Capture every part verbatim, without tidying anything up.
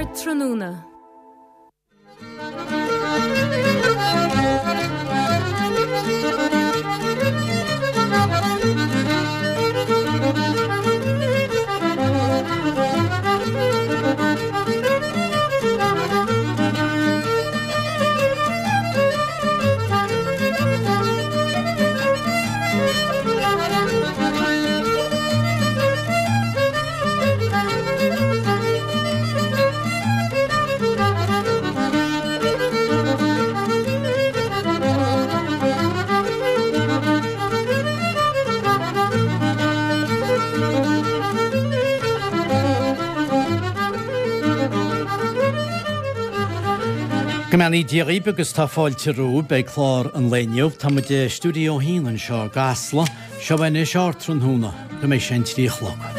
Ardtráthnóna. Go mbeannaí Dia dhaoibh agus tá fáilte romhaibh ag clár an lae inniu. Tá muid i Stiúideo a hAon anseo i gCasla. Seo anois Ardtráthnóna go mbeidh sé an trí a chlog.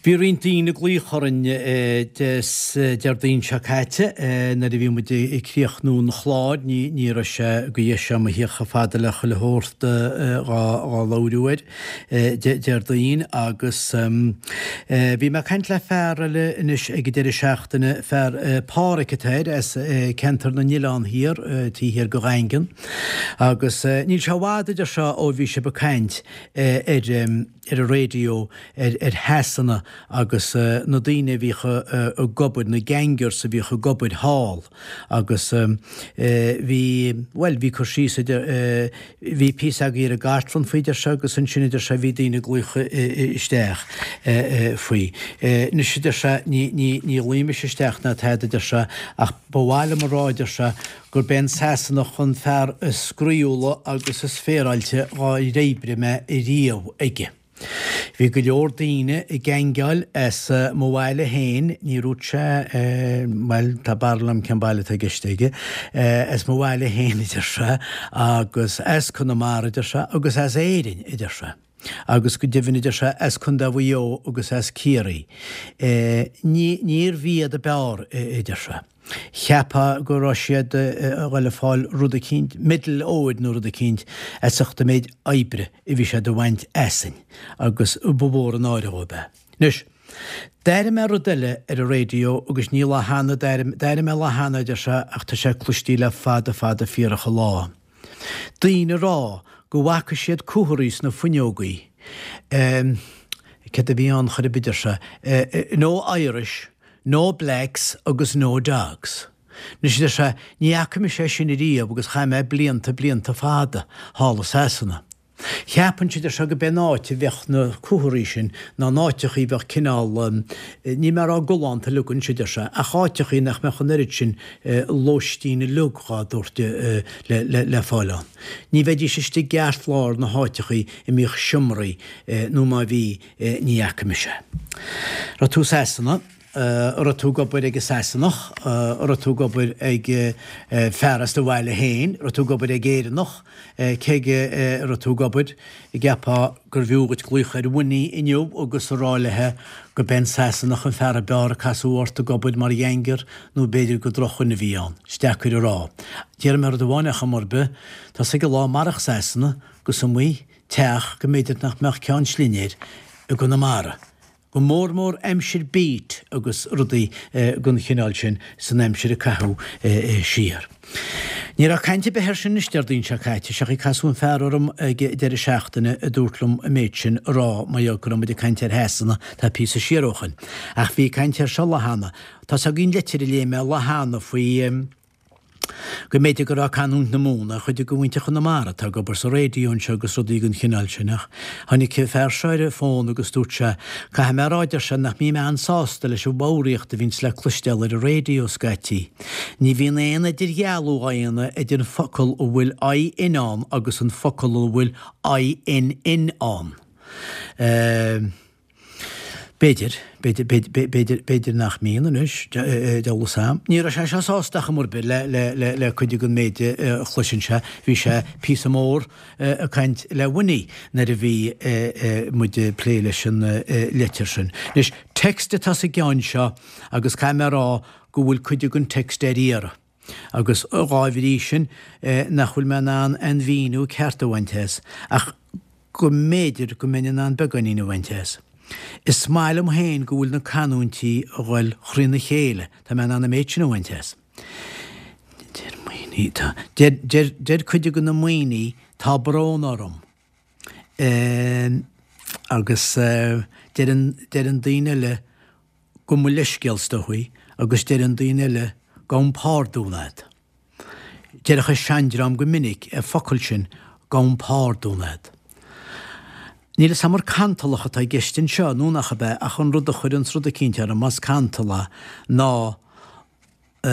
Bhí roinnt daoine ag glaoch orainn Déardaoin seo caite nuair a bhí muid ag críochnú an chláir. Ní ní raibh sé go dheis agam a thíocht chomh fada le chuile shórt dhá labhrú air Déardaoin agus bhí mé ag caint le fear eile anois ag an deireadh seachtaine, fear Páraic atá air as ceantar na nOileán Thiar, taobh thiar de Dhaingean agus níl sé i bhfad idir seo ó bhí sibh ag caint ar ar an raidió ar ar Shasana agus na daoine a bhíodh ag obair, na gangers a bhíodh ag obair thall agus bhí, bhuel, bhí cur síos idir, bhí píosa agaibh ar an gcartlann faoi deir sé agus ansin a deir sé bhí daoine ag glaoch isteach faoi. Anois a deir sé ní ní ní ghlaofaidh mise isteach ná tada a deir sé ach ba mhaith liom a rá a deir sé gurb é an Sasanach an fear is spraíúla agus is féaráilte dhár oibrigh mé riamh aige. Bhí go leor daoine ag gaingeáil as mo bhaile féin, ní dúirt sé, bhuel, tá barúil agam cén baile atá i gceist aige, as mo bhaile féin, a deir sé, agus as Conamara, a deir sé, agus as Éirinn, a deir sé. Agus go deimhin, a deir sé, as Contae Mhaigh Eo agus as Ciarraí. Ní, níorbh iad a b'fhearr, a deir sé. Cheapfá go raibh siad a dhul a fáil rud eicínt, medal óir nó rud eicínt, as ucht an méid oibre a bhí siad a bhaint asainn, agus ba mhór an náire dhóibh é. Anois, d'airigh mé rud eile ar an raidió agus ní lá cheana d'airigh, d'airigh mé lá cheana, a deir sé, ach tá sé cloistí le fada fada fíorach an lá. Daoine a rá go bhfaca siad cumhraí sna fuinneogaí. Céard a bhí ann chor ar bith, a deir sé, no Irish, No blacks agus no dogs. Anois, a deir sé, ní fhaca mise é sin ariamh agus chaith mé blianta, blianta fada thall i Sasana. Cheapfainnse, a deir sé, go b'é an áit a bheadh na cumhraí sin ná in áiteachaí a bheadh cineál, níl mé a rá galánta uilig anois, a deir sé, ach áiteachaí nach mbeadh an oiread sin lóistín uilig dhá dtabhairt le fáil ann. Ní bheidís istigh i gceartlár na háiteachaí a mbíodh seomraí nó má bhí, ní fhaca mise. Raibh tú i Sasana? An raibh tú ag obair ag an Sasanach? An raibh tú ag obair ag fear as do bhaile féin? An raibh tú ag obair ag Éireannach? Cé aige a raibh tú ag obair? An gceapfá gurbh fhiú dhuit glaoch ar Winnie inniu agus a rá léithe go b'é an Sasanach an fear a b'fhearr a casadh ort ag obair mar ghanger nó b'fhéidir gur drochdhuine a bhí ann? Is deacair a rá. Déarfaidh mé rud amháin ar chuma ar bith, tá's ag an lá marach Sasana gus iomaí teach go mb'fhéidir nach mbeadh ceann slinnéir i gConamara. Go mór mór aimsir beat agus rudaí den chineál sin san aimsir a caitheadh siar. Ní raibh caint ar bith air sin anois Déardaoin seo caite, seachaí casadh an fear orm ag deireadh seachtaine a dúirt liom an méid sin a rá mar gheall go raibh muid ag caint ar Shasana tá píosa siar ó shoin. Ach bhí caint air seo lá cheana. Tá's agaibh an litir a léigh mé lá cheana faoi. Go mb'fhéidir go raibh canúint na Mumhan ar chuid de mhuintir Chonamara atá ag obair sa raidió anseo agus rudaí den chineál sin ach tháinig an fear seo ar an bhfón agus dúirt sé, 'Caithfidh mé a rá, a deir sé, 'nach mbím an-sásta leis an bhfoghraíocht a bhíonns le cloisteáil ar an raidió scaití. Ní bhíonn aon idirdhealú á dhéanamh idir an focal a bhfuil IN ann agus an focal a bhfuil INN ann. B'fhéidir, b'fhéidir, b'fhéidir, b'fhéidir nach mbíonn anois, deabhal 'fhios a'm. Ní raibh sé seo sásta ach ar bith le, le, le, le cuid den méid a chloiseann sé. Bhí sé píosa mór ag caint le Winnie nuair a bhí muid ag plé leis an leitir sin. Anois, text atá sa gceann seo agus caithfidh mé a rá go bhfuil cuid den text ar iarraidh. Agus dhá bhrí sin nach bhfuil mé in ann aon mhíniú ceart a bhaint as, ach go mb'fhéidir go mbeinn in ann beagáinín a bhaint as. Is maith liom féin go bhfuil na canúintí a dhul thrína chéile, tá mé in ann an méid sin a bhaint as. Deir Maoiní, tá, deir, deir, deir cuid de na Maoiní, tá brón orm. Agus deireann, deireann daoine eile gabh mo leithscéal is dóichí agus deireann daoine eile gabhaim pardún a'd. Deireadh an seandream go minic an focal sin gabhaim pardún a'd. Níl 'fhios a'm ar cantalach atá i gceist anseo nó nach ab ea ach an rud a chuireanns rud eicínt orm, más cantal é, ná a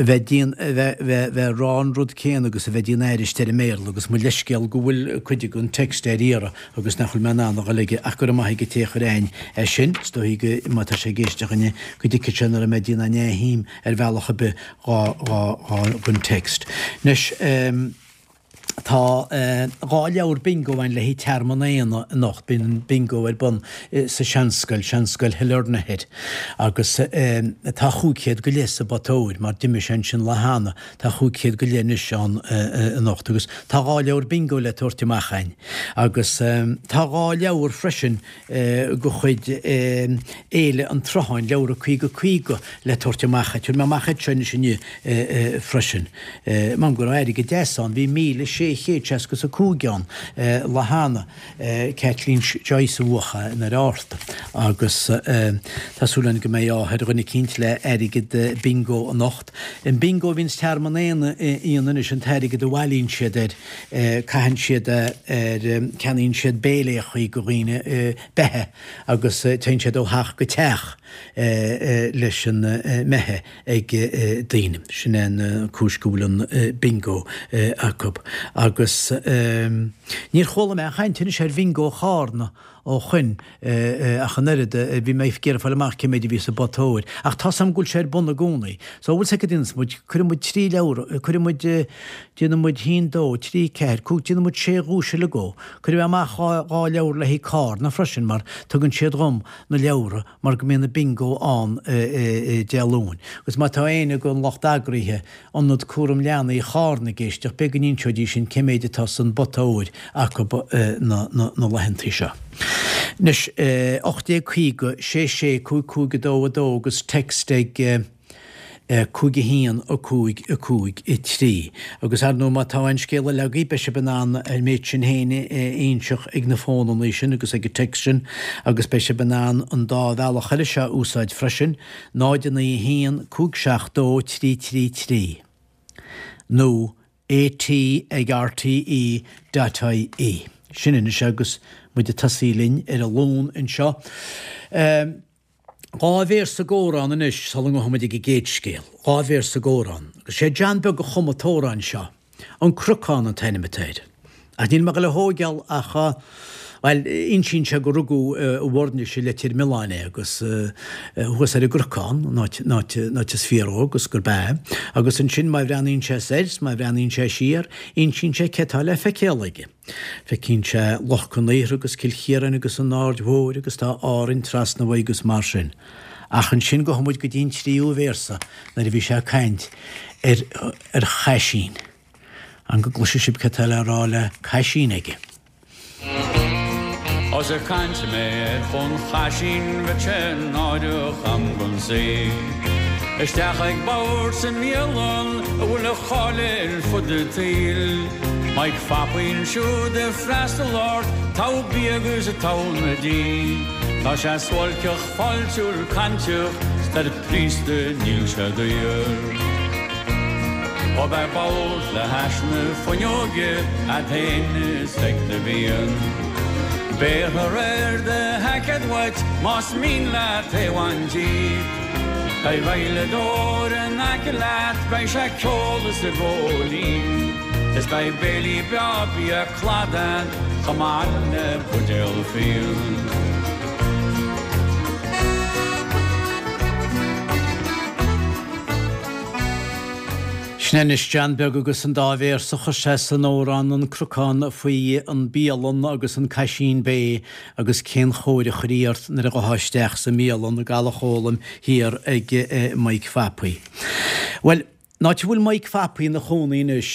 bheith dian, a bheith, bheith, bheith ag rá an rud céanna agus a bheith ag déanamh aithris ar an mBéarla agus mo leithscéal go bhfuil cuid den text ar iarraidh agus nach bhfuil mé in ann a dhul aige ach go raibh maith ag an té a chuir a'inn é sin, is dóichí go, má tá sé ag éisteacht inniu, go dtuigfidh sé nach raibh mé ag déanamh neamhshuim ar bhealach ar bith dhá, dhá, dhá, den text. Anois, ehm. Tá dhá leabhar bingo ann le haghaidh Tearmann Éanna anocht. Bíonn an bingo ar bun sa seanscoil, Seanscoil Shailearna Thoir, agus tá chúig chéad go leith sa bpota óir, mar d'imigh sé ansin lá cheana. Tá chúig chéad go leith anois ann anocht agus tá dhá leabhar bingo le tabhairt amach againn. Agus tá dhá leabhar freisin de chuid Fhéile an tSrutháin, leabhra caoga caoga le tabhairt amach. Tabharfaidh mé amach iad seo anois inniu freisin. M'anam go raibh airgead deas ann, bhí míle sé chéad seasca is a cúig ann lá cheana. Kathleen Joyce a bhuaigh i nDoire Fhatharta agus tá súil againn go mbeidh ádh ar dhuine eicínt le airgead bingo anocht. An bingo a bhíonns Tearmann Éanna anois, an t-airgead a bhailíonn siad air, caitheann siad é ar, ceannaíonn siad béiléachaí go dhaoine beithe agus téann siad ó theach go teach leis an mbeithe ag daoine. Sin é an cúis go bhfuil an bingo acu. Agus níor chuala mé aon chaint anois ar bhingo Chárna ó shoin ach an oiread. Bhí mé ag iarraidh fáil amach cé méid a bhí sa bpota óir. Ach tá 's a'm go bhfuil sé ar bun i gcónaí. So bhfuil 's a'd cad a dhéanfas muid, cuirfidh muid trí leabhar, cuirfidh muid, déanfaidh muid haon, dó, trí, ceathair, cúig, déanfaidh muid sé dhuais uilig dhó. Cuirfidh mé amach dhá, dhá leabhar le haghaidh Cárna freisin mar tugann siad dhom na leabhra mar go mbíonn an bingo ann Dé Luain. Agus má tá éinne den lucht eagraithe Ionad Cúram Leanaí Chárna ag éisteacht, b'fhéidir go n-inseoidís sin cé méid atá san bpota óir acu na laethantaí seo. Anois, ocht déag caoga, sé sé, cúig cúig a dó a dó agus text ag cúig a haon, a cúig, a cúig, a trí. Agus ar ndóigh má tá aon scéal eile agaibh beidh sibh in ann an méid sin féin a inseacht ag na fónannaí sin agus ag an text sin agus beidh sibh in ann an dá bhealach eile seo a úsáid freisin, náid a naoi a haon, cúig seacht dó, trí trí trí nó AT ag RTE dot IE. Sin anois agus muid ag tosaí linn ar an Luan anseo. Dhá véarsa d'amhrán anois sula ngabhfaidh muid ag an gcéad scéal. Dhá véarsa d'amhrán. Agus sé John Beag a chum an t-amhrán seo. An Cnocán an t-ainm atá air. Ach níl mé ag dul a thóigeáil ach, bhuel, insíonn sé gur rugadh i bhFoirnis i Leitir Mealláin é agus thuas ar an gCnocán, an áit, an áit, an áit is fíor dhó agus gurb ea. Agus ansin má bhreathnaíonn sé soir 's má bhreathnaíonn sé siar, insíonn sé cé tá le feiceáil aige. Feicíonn sé Loch Con Aortha agus Cill Chiaráin agus an Aird Mhóir agus tá Árainn trasna uaidh agus mar sin. Ach ansin gabhfaidh muid go dtí an tríú véarsa nuair a bhí sé ag caint ar ar chaisín. An go gcloisfidh sibh cad tá le rá le caisín aige. Ós ag caint mé ar Chon Chaisín bheadh sé náireach a'm gon saol. Isteach ag bord sa mbialann a bhfuil a cháil ar fud an tsaoil. Mike Phapaí ansiúd ag freastal ort, togha bia agus togha na dí. Tá sé suáilceach fáiltiúil cainteach 's ar príosta níl sé daor. Ó beidh bord le hais na fuinneoige agat féin is ag do bhean. Béarfar ar do sheaicéad uait más mian leat é a bhaint díot. Beidh veidhleadóir in aice leat, beidh sé ag ceol is ag ól líot. Is beidh béilí breá bia cladaigh chomh maith le buidéal fíon. Sin anois John Beag agus an dá véarsa a chuir sé san amhrán An Cnocán faoi an bialann agus an Caisín Bé agus cén chóir a chuirí ort nuair a ghabhfá isteach sa mbialann i gCaladh Chóilm thiar ag Mike Phapaí. Bhuel, an áit a bhfuil Mike Phapaí ina chónaí anois,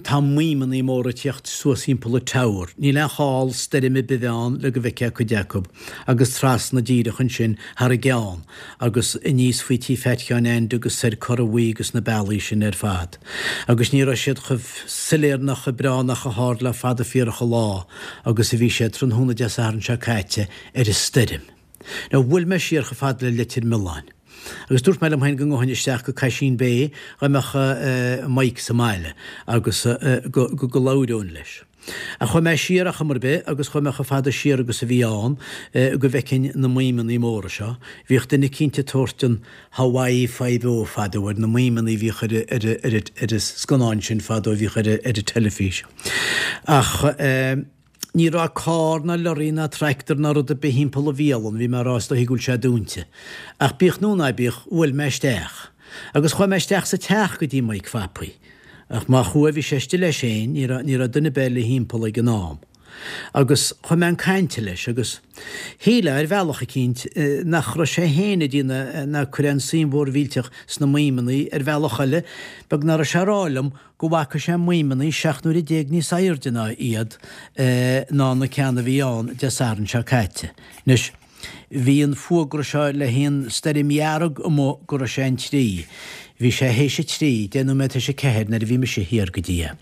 tá maidhmeanna móra ag tíocht suas thimpeall an tower. Níl aon chall stoirm ar bith ann le go bhfeicfeá cuid acu, agus trasna díreach ansin thar a gceann, agus aníos faoi tí Phat Sheáin Aindí agus soir Corra Bhuí agus na bealaí sin ar fad. Agus ní raibh siad chomh soiléir ná chomh breá ná chomh hard le fada fíorach an lá agus a bhí siad tráthnóna Dé Sathairn seo caite ar an stoirm. Now bhuail mé siar chomh fada le Leitir Mealláin. Agus dúirt mé liom féin go ngabhfainn isteach go Caisín Bé dá mbeadh Mike sa mbaile agus go go labhróinn leis. Ach chuaigh mé siar ar chuma ar bith agus chuaigh mé chomh fada siar agus a bhí ann go bhfeicfinn na maidhmeanna móra seo. Bhíodh duine eicínt ag tabhairt an Hawaii Five-O fadó ar na maidhmeanna a bhíodh ar ar ar ar an scannán sin fadó a bhíodh ar ar an teilifís. Ach Ní raibh carr ná lorry ná tractor ná rud ar bith thimpeall an bhialann, bhí mé a rá is dóichí go bhfuil sé dúnta. Ach bíodh nó ná bíodh, bhuail mé isteach. Agus chuaigh mé isteach sa teach go dtí Mike Phapaí. Ach má chuaigh, bhí sé istigh leis féin, ní raibh, ní raibh duine ar bith eile thimpeall ag an am. Agus chuaigh mé chun cainte leis agus shílfeá ar bhealach eicínt nach raibh sé féin ag déanamh ná ag cur aon suim mhór mhillteach sna maidhmeanna, ar bhealach eile, beag ná raibh sé a rá liom go bhfaca sé maidhmeanna seacht n-uaire déag níos airde ná iad ná na ceanna a bhí ann Dé Sathairn seo caite. Anois, bhí an fuagra seo le haon stoirm dhearg amuigh go raibh sé an trí. Bhí sé théis a trí, deich nóiméad théis a ceathair nuair a bhí mise thiar go dtí é.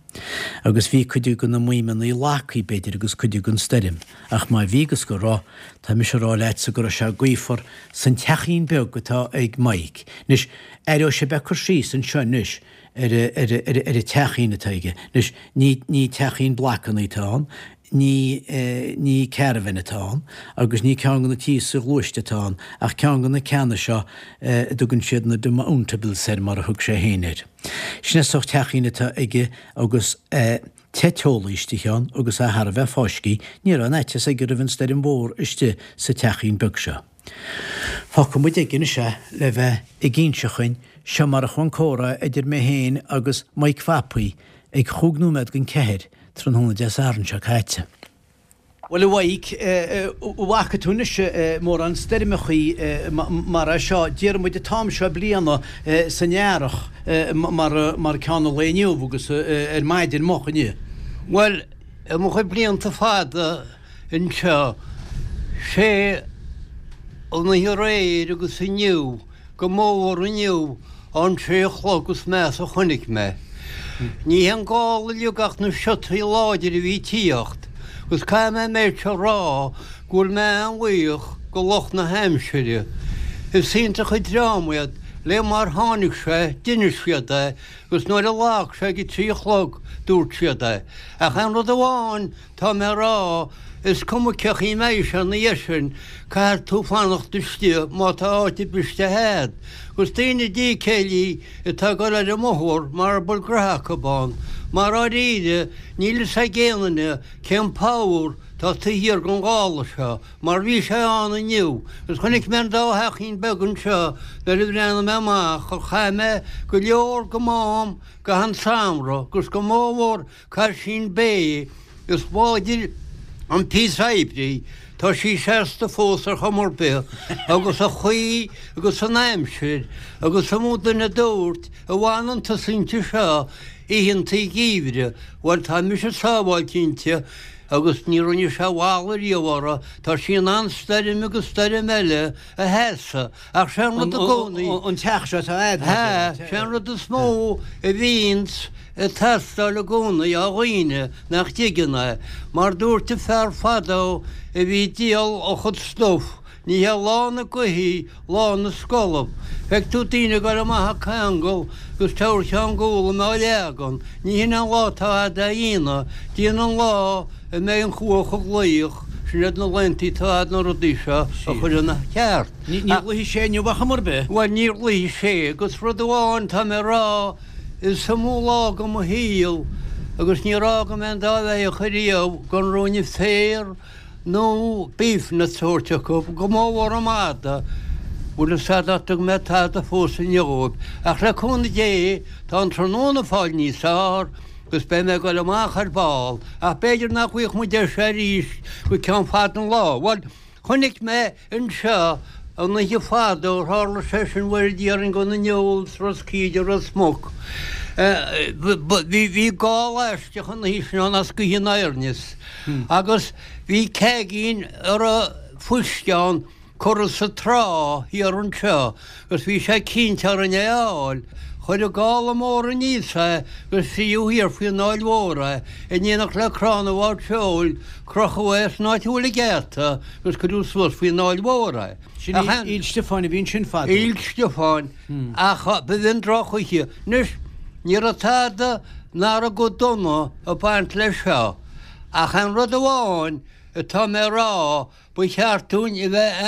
Agus bhí cuid de na maidhmeanna lagtha, b'fhéidir, agus cuid den stoirm. Ach má bhí agus go raibh, tá mise a rá leatsa go raibh sé gaofar san teachín beag atá ag Mike. Anois, aireoidh sibh cur síos anseo anois ar ar an teachín atá aige. Anois, ní ní teachín blocanna atá ann, ní ní caravan atá ann, agus ní ceann de na tithe soghluaiste atá ann, ach ceann de na ceanna seo a dtugann siad na demountables air, mar a thug sé féin air. Sin é sórt teachín atá aige agus te teolaí istigh ann agus é thar a bheith fáiscthe, ní raibh aon fhaitíos aige roimh an stoirm mhór istigh sa teachín beag seo. Fágfaidh muid aige anois é le bheith ag inse chugainn, seo mar a chuaigh an comhrá idir mé féin agus Mike Phapaí ag chúig nóiméad don ceathair tráthnóna Dé Sathairn seo caite. Bhuel a Mhaidhc, an bhfaca tú anois mórán stoirmeachaí mar é seo, déarfaidh muid an t-am seo bliana san earrach mar ceann an lae inniu agus ar maidin moch inniu? Bhuel, i mo chuid blianta fada anseo, sé an oíche aréir agus inniu, go mór inniu, an sé a chlog is measa a chonaic mé. Ní hé an gála uilig ach na siotaí láidire a bhí ag tíocht, agus caithfidh mé an méid seo a rá go bhfuil mé an-bhuíoch go lucht na haimsire. Is iontach an dream iad, le mar tháinig sé, d'inis siad é, agus nuair a lag sé ag a trí a chlog, dúirt siad é. Ach aon rud amháin tá mé a rá, is cuma cé chaoi a mbeidh sé ina dhiaidh sin, caithfidh tú fanacht istigh má tá áit ar bith istigh a'd. Agus daoine dícéillí atá ag dul ar an mbóthar mara bhfuil gnoithe acu ann, mar dháiríre níl fhios ag aon duine cén power tá taobh thiar den ghála seo, mar bhí sé ann inniu. Agus chonaic mé an dá theachín beag anseo nuair a bhreathnaigh mé amach, ach chaith mé go leor go m'am gach aon samhradh agus go mórmhór Caisín Bé, is láidir an píosa oibre í, tá sí seasta fós ar chuma ar bith, agus an chaoi agus an aimsir, agus an mó duine a dúirt, an bhfanann tusa inti seo oícheanta geimhridh, bhuel tá mise sábháilte inti, agus ní rinne sé bhalla riamh uirthi, tá sí in ann stoirm agus stoirm eile a sheasamh, ach sé an rud i gcónaí. An teach seo atá a'd. Hea, sé an rud is mó a bhíonns ag teastáil i gcónaí ó dhaoine nach dtuigeann é, mar dúirt an fear fadó a bhí ag díol a chuid stuif, Ní hé lá na gcluichí lá na scolab. Feic tú daoine ag goil amach ag ceangal agus tabhair ceann gualaim á leagan. Ní hin an lá atá a'd a dhéanamh. Déan an lá a mbeidh an chuach ag glaoch, sin iad na laethanta atá a'd na rudaí seo a chur ina cheart. Ní ghlaofaidh sé inniu ar chuma ar bith. Bhuel, níor ghlaoigh sé agus rud amháin tá mé a rá, is iomaí lá de mo shaol agus níor fhága mé an dá bheathach ariamh gan ruainne féir nó beef na sóirt acu, go mór mhór an mada, bhfuil fhios a'd nach dtug mé tada fós inniu dhóibh, ach le cúnamh Dé tá an tráthnóna ag fáil níos fearr agus beidh mé ag dul amach ar ball, ach b'fhéidir nach bhfaighidh muid deis arís go ceann fada an lá. Bhuel, chonaic mé anseo an oíche fada ó tharla sé sin bhuel déarfainn go na Newells, Ros Cíde, Ros Muc. Bhí bhí gála aisteach an oíche sin ann as Gaoth an Oirnis agus bhí ceaigín a raibh fuisce ann curtha sa trá thiar anseo agus bhí sé cinnte orainn é a fháil. Chuir an gála mór aníos é agus fríodh thiar faoin Fháil Mhór é, in éineacht le crann an bháid seoil, crochadh é san áit a bhfuil an geata agus cuireadh suas faoin Fháil Mhór é. Sin Aoill Stiofáin a bhí ansin fadó. Aoill Stiofáin, ach b'in drochoíche. Anois, ní raibh tada ná raibh go dona ag baint leis seo. Ach aon rud amháin atá mé a rá, ba cheart dúinn a bheith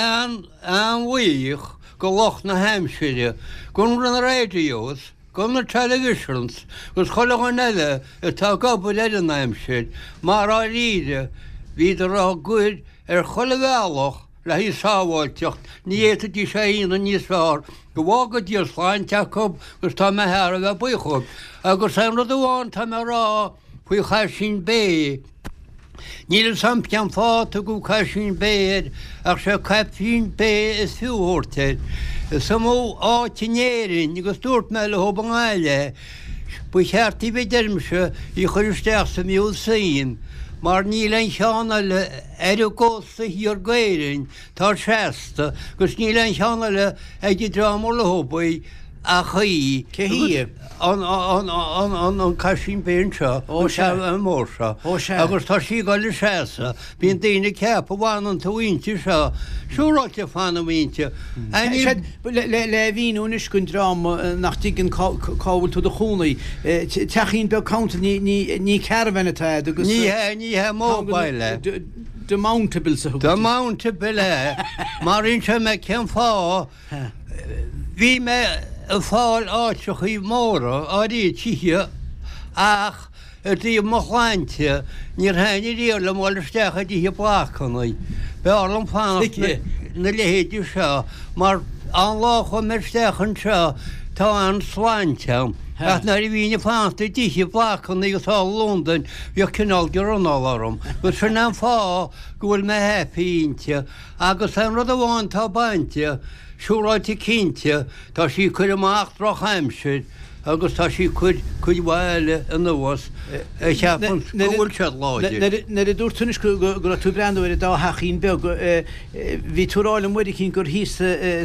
an-an-bhuíoch go lucht na haimsire, go na radios, go na televisions, agus chuile dhuine eile atá ag obair ar an aimsir, mar dháiríre, bhíodar á gcur ar chuile bhealach le haghaidh sábháilteacht, ní fhéadfaidís é a dhéanamh níos fearr, go bhfága Dia sláinte acu agus tá mé thar a bheith buíoch dhóibh. Agus aon rud amháin atá mé a rá faoi Chaisín Bé, níl fhios a'm cén fáth a tugadh Caisín Bé air ach sé Caipín Bé is fiú a thabhairt air. Is iomaí áit in Éirinn agus dúirt mé leo i nGaillimh é, ba cheart daoibh a deirimse í a chur isteach sa museum mar níl aon cheann eile ar an gcósta thiar d'Éirinn tá seasta agus níl aon cheann eile ag an dream ar leo í ach í. Cé hí í? An an an an an Caisín Bé anseo, Ó an sea. an mór seo. Ó sea. Agus tá sí ag dul ag seasamh. Bíonn daoine ag ceapadh bhfanann tú inti seo. Siúráilte fanaim inti. Sea, le le le mhíniú anois don dream nach dtuigeann cá cá bhfuil tú i do chónaí. Teachín beag council ní ní ní caravan atá agat agus Ní hea, ní hea, mobile é. Demountables a thugann. Demountable é. Mar inseoidh mé cén fáth. Bhí mé ag fáil áiteachaí móra, áirithe tithe, ach i dtaobh mo shláinte, níor thaitnigh riamh liom dul isteach i dtithe blocanna. B'fhearr liom fanacht na leithéidí seo, mar an lá a chuaigh mé isteach anseo, tá an-sláinte agam. Ach nuair a bhínn ag fanacht i dtithe blocanna agus thall i Londain, bhíodh cineál de ronnáil orm. Agus sin an fáth go bhfuil mé happy inti. Agus aon rud amháin atá bainte, siúráilte cinnte, tá sí ag cur amach drochaimsir agus tá sí ag cur cuid mhaith eile anuas a cheapann go bhfuil siad láidir. Nuair a dúirt tú anois go raibh tú ag breathnú ar an dá theachín beag, bhí tú ag rá liom uair eicínt gur thíos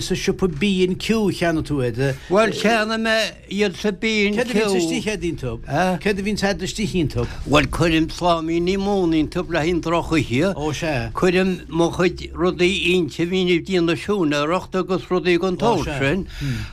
sa siopa B and Q a cheannaigh tú iad. Bhuel, cheannaigh mé iad sa B and Céard a Q. bhíonns istigh agat iontu? Céard a bhíonns agat istigh iontu? Bhuel, cuirim sláimíní móna iontu le haghaidh an drochoíche. Ó sea. Cuirim mo chuid rudaí inti a bhínn ag déanamh siúinéireacht agus rudaí den Ó tsórt sea. sin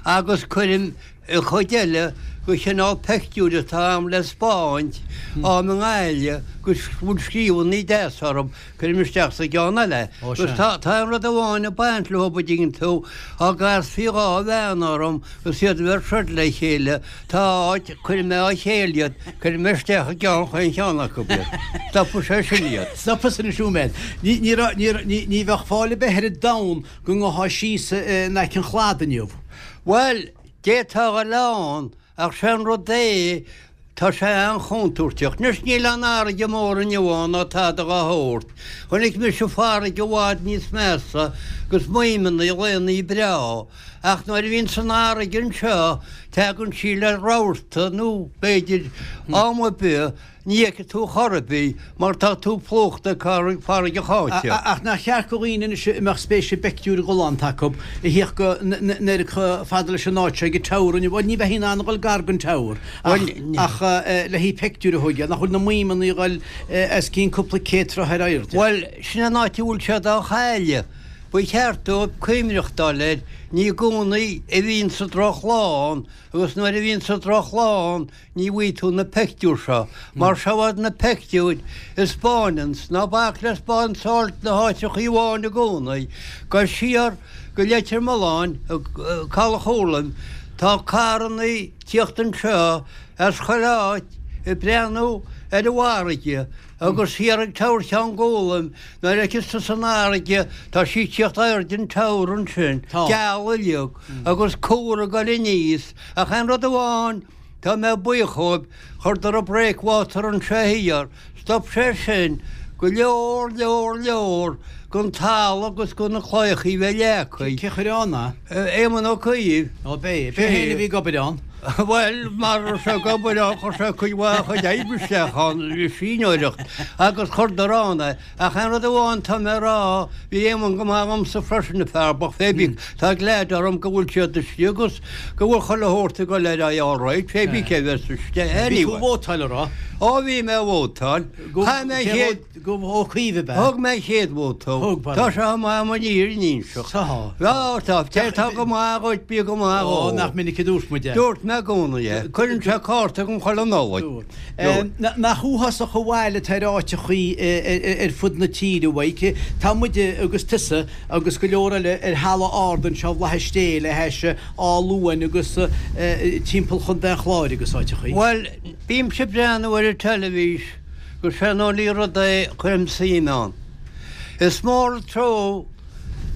agus cuirim an chuid eile de chineál peictiúir atá a'm le 'spáint a'm i nGaillimh agus bhfuil scríobhannaí deas orthu, cuirim isteach sa gceann eile. Ó Agus sea. tá tá aon rud amháin ag baint leo, an dtuigeann tú, dá gcasfaí dhá bhean orm agus iad a bheith ag troid le chéile, tá áit, cuirfidh mé á chéile iad, cuirfidh mé isteach i gceann chaon cheann acu iad. Stopfaidh sé sin iad. Stopfaidh sin an siúméad. Ní ní raibh ní ní ní bheadh fáil ar bith ar an domhan go ngabhfá síos in aice an chladaigh inniu. Bhuel, d'fhéadfá a dhul ann, ach sé an rud é, tá sé an-chontúirteach. Anois níl an fharraige mór inniu ann ná tada dá shórt. Chonaic mise farraige i bhfad níos measa agus maidhmeanna laonnaí breá. Ach nuair a bhíonns an fharraige anseo, tagann sí le rabharta nó b'fhéidir am ar bith, Ní fheicfidh tú chor ar bith mar tá tú plúchta ag farraige cháite. Ach nach cheart do dhaoine anois a mbeadh spéis i bpeictiúir ghalánta acu a thíocht go n-oiread chomh fada leis an áit seo ag an Tower inniu, bhuel ní bheifí in ann a dhul gar don Tower ach ach le haghaidh peictiúir a thógáil, nach bhfuil na maidhmeanna ag dhul os cionn cúpla céad troigh ar airde? Bhuel, sin an áit a bhfuil siad á chailleadh. Ba cheart dóibh cuimhneachtáil air, ní i gcónaí a bhíonn sa drochlá ann agus nuair a bhíonn sa drochlá ann ní bhfaighidh tú na peictiúir seo. Mar seo iad na peictiúir a 'spáineanns, ná bac le spáinseáil na háiteachaí amháin i gcónaí. Gabh siar go Leitir Mealláin, Caladh Urlaim, tá carrannaí tíocht anseo as chuile áit ag breathnú ar an bhfarraige agus thiar ag Tower Cheann Gólaim, nuair a fheiceas tusa an fharraige, tá sí ag tíocht airde an tower ansin, geal uilig, agus cúr ag goil aníos, ach aon rud amháin, tá mé buíoch dhóibh, chuireadar an breakwater anseo thiar, stop sé sin go leor, leor, leor den talamh agus de na claíochaí bheith leagtha. Cé chuir ann é? Éamon Ó Cuív. Ó b'é, b'é féin a bhí ag obair ann. Bhuel, mar a raibh sé ag obair ann, chuir sé cuid mhaith a chuid oibre isteach ann, síneoireacht, agus chuireadar ann é. Ach aon rud amháin tá mé a rá, bhí Éamon go maith dhomsa freisin, an fear bocht, fé bí, tá glad orm go bhfuil siad istigh agus go bhfuil chuile shórt ag dul ar aghaidh all right, fé bí cé bheas istigh, anyway. Bhí tú ag vótáil, a raibh? Ó, bhí mé ag vótáil. Chaith mé an chéad. Go Ó Cuív ab ea? Thug mé an chéad vóta. Thug, bhuel. Tá sé chomh maith an fhírinne a inseacht. Tá. Tá, tá. Té atá go maith dhuit, bí go maith dhó. Ó, nach minic a dúirt muid é. Dúirt mé i gcónaí é. Cuireann sé cárta agam chuile Nollaig. Dúirt. Nach uafásach an bhail atá ar áiteachaí ar fud na tíre, a Mhaidhc. Tá muide agus tusa agus go leor eile ar thalamh ard anseo i bhFlaitheas Dé le hais Áth Luain agus timpeall Chontae an Chláir agus áiteachaí. Bhuel, bímse ag breathnú ar an teilifís. Gur sé an only rud é cuirim suim ann. Is mór an trua